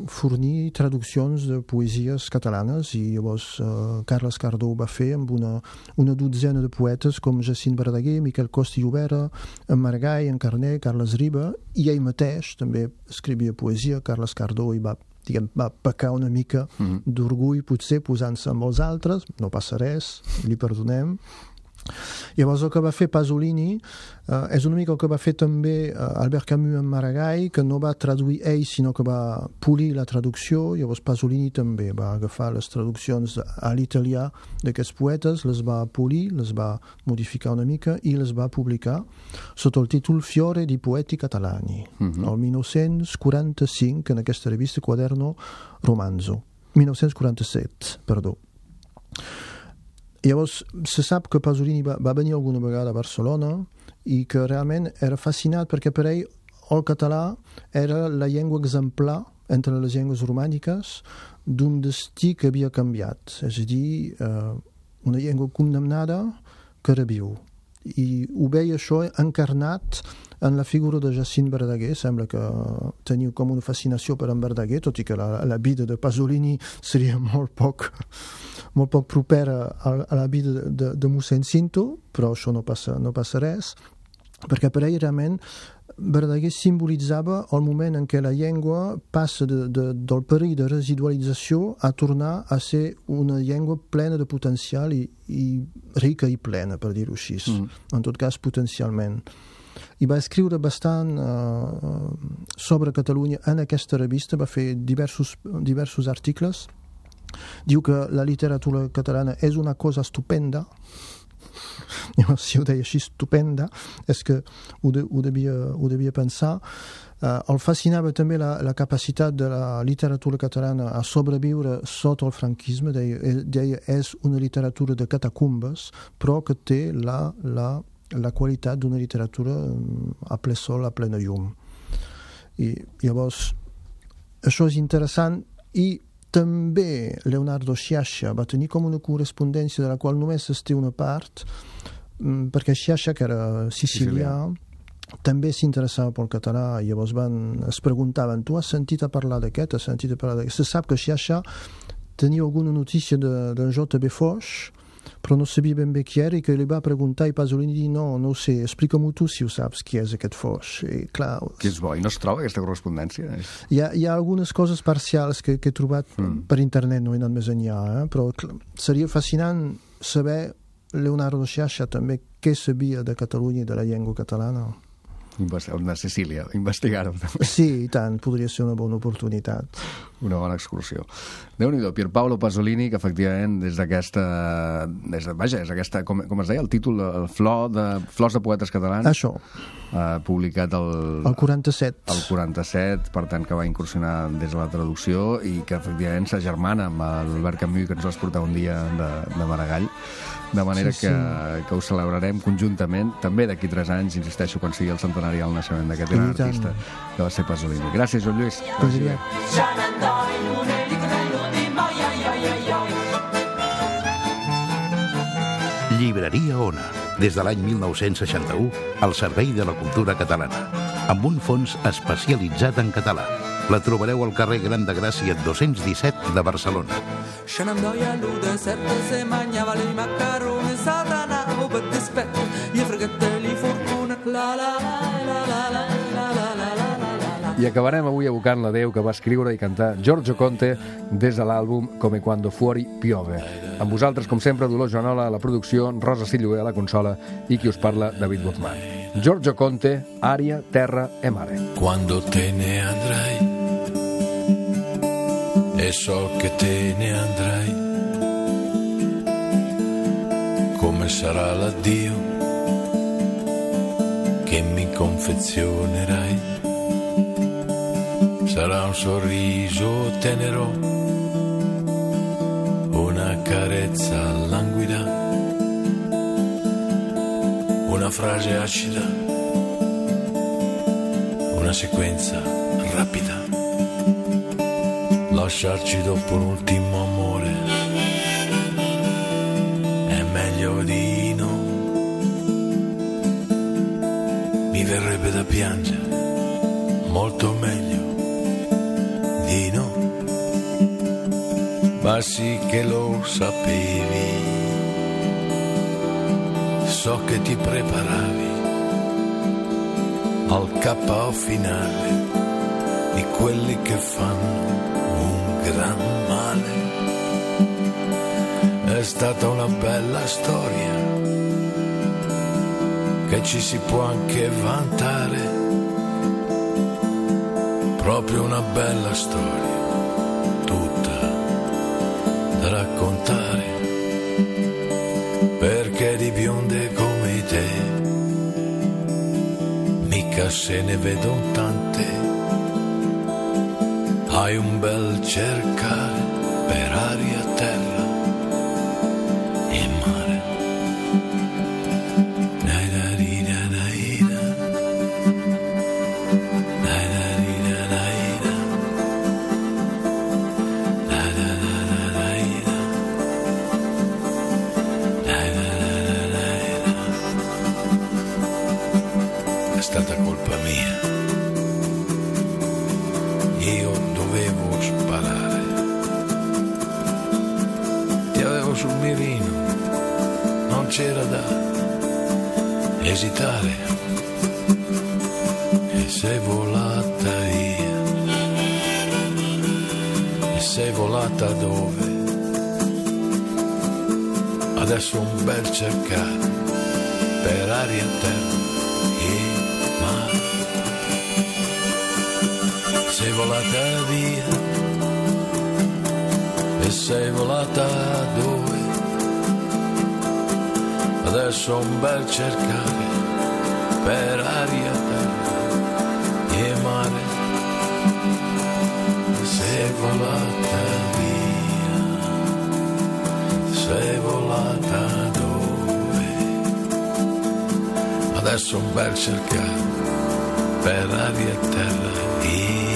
fornir traduccions de poesies catalanes, i llavors uh, Carles Cardó ho va fer amb una, una dotzena de poetes com Jacint Verdaguer, Miquel Costa i Llobera, en Maragall, en Carner, Carles Riba, i ell mateix també escrivia poesia. Carles Cardó hi va, diguem, va pecar una mica mm-hmm. d'orgull, potser posant-se amb els altres, no passa res, li perdonem. Llavors el que va fer Pasolini eh, és una mica el que va fer també eh, Albert Camus en Maragall, que no va traduir ell sinó que va polir la traducció. Llavors Pasolini també va agafar les traduccions a l'italià d'aquests poetes, les va polir, les va modificar una mica i les va publicar sota el títol Fiore di Poeti Catalani, mm-hmm. el dinou quaranta-cinc, en aquesta revista Quaderno Romanzo, dinou quaranta-set, perdó. Llavors, se sap que Pasolini va, va venir alguna vegada a Barcelona i que realment era fascinat perquè per ell el català era la llengua exemplar entre les llengües romàniques d'un destí que havia canviat, és a dir, eh, una llengua condemnada que reviu. I ho veia això encarnat en la figura de Jacint Verdaguer. Sembla que teniu com una fascinació per en Verdaguer, tot i que la, la vida de Pasolini seria molt poc, molt poc propera a, a la vida de, de, de mossèn Cinto, però això no passa, no passa res, perquè per ell realment Verdaguer simbolitzava el moment en què la llengua passa de, de, del perill de residualització a tornar a ser una llengua plena de potencial i, i rica i plena, per dir-ho així, mm. en tot cas potencialment. I va escriure bastant uh, sobre Catalunya en aquesta revista, va fer diversos, diversos articles. Diu que la literatura catalana és una cosa estupenda. Si ho deia així, estupenda, és que ho, de, ho, devia, ho devia pensar. Uh, el fascinava també la, la capacitat de la literatura catalana a sobreviure sota el franquisme. Deia, deia és una literatura de catacumbes, però que té la, la, la qualitat d'una literatura a ple sol, a plena llum. I llavors, això és interessant. I també Leonardo Sciascia va tenir com una correspondència de la qual només es té una part, perquè Sciascia, que era sicilià, Sicilià. també s'interessava pel català. Llavors van, es preguntaven, tu has sentit a parlar d'aquest, has sentit a parlar d'aquest? Se sap que Sciascia tenia alguna notícia de, de J B Foix, però no sabia ben bé qui era, i que li va preguntar, i Pasolini dir, no, no ho sé, explica-m'ho tu si ho saps qui és aquest Foix. I, clar, que és bo, i no es troba aquesta correspondència? Hi ha, hi ha algunes coses parcials que, que he trobat mm. per internet, no he anat més enllà, eh? Però clar, seria fascinant saber Leonardo Sciascia també què sabia de Catalunya i de la llengua catalana. De Sicília, investigar-ho també. Sí, i tant, podria ser una bona oportunitat. Una bona excursió. Déu-n'hi-do, Pierpaolo Pasolini, que efectivament des d'aquesta, des de, vaja, és aquesta, com, com es deia, el títol, el flor de, Flors de Poetes Catalans. Això. Uh, publicat el... El quaranta-set. El quaranta-set, per tant, que va incursionar des de la traducció i que efectivament s'agermana amb l'Albert Camus, que ens vas portar un dia de, de Maragall. De manera sí, sí. Que, que ho celebrarem conjuntament, també d'aquí tres anys, insisteixo, quan sigui el centenari del naixement d'aquest gran artista que va ser Pasolini. Gràcies, Joan Lluís. Llibreria Ona, des de l'any mil nou-cents seixanta-u, al servei de la cultura catalana, amb un fons especialitzat en català. La trobareu al carrer Gran de Gràcia dos-cents disset de Barcelona. Se ne andò a l'ude sette, se mangiava i macaroni, satanavo per dispetto, gli freghette li fortuna, la la la la la la la la la la. I acabarem avui evocant la Déu que va escriure i cantar Giorgio Conte des de l'àlbum Come quando fuori piove. Amb vosaltres, com sempre, Dolors Joanola a la producció, Rosa Silloé a la consola i qui us parla, David Guzmán. Giorgio Conte, Aria, Terra e Mare. Quando te ne andrai e so che te ne andrai, come sarà l'addio che mi confezionerai? Sarà un sorriso tenero, una carezza languida, una frase acida, una sequenza rapida. Lasciarci dopo un ultimo amore è meglio di no. verrebbe da piangere, molto meglio di no. Ma sì che lo sapevi, so che ti preparavi al K O finale di quelli che fanno un gran male. È stata una bella storia che ci si può anche vantare, proprio una bella storia, tutta da raccontare, perché di bionde come te mica se ne vedono tante. Hai un bel cercare per aria, terra e mare. È stata colpa mia, io dovevo sparare, ti avevo sul mirino, non c'era da esitare, e sei volata via, e sei volata dove? Adesso un bel cercare per aria, terra e mare. Sei volata via e sei volata dove? Adesso un bel cercare per aria, terra e mare. Sei volata via, sei volata dove? Adesso un bel cercare per aria e terra e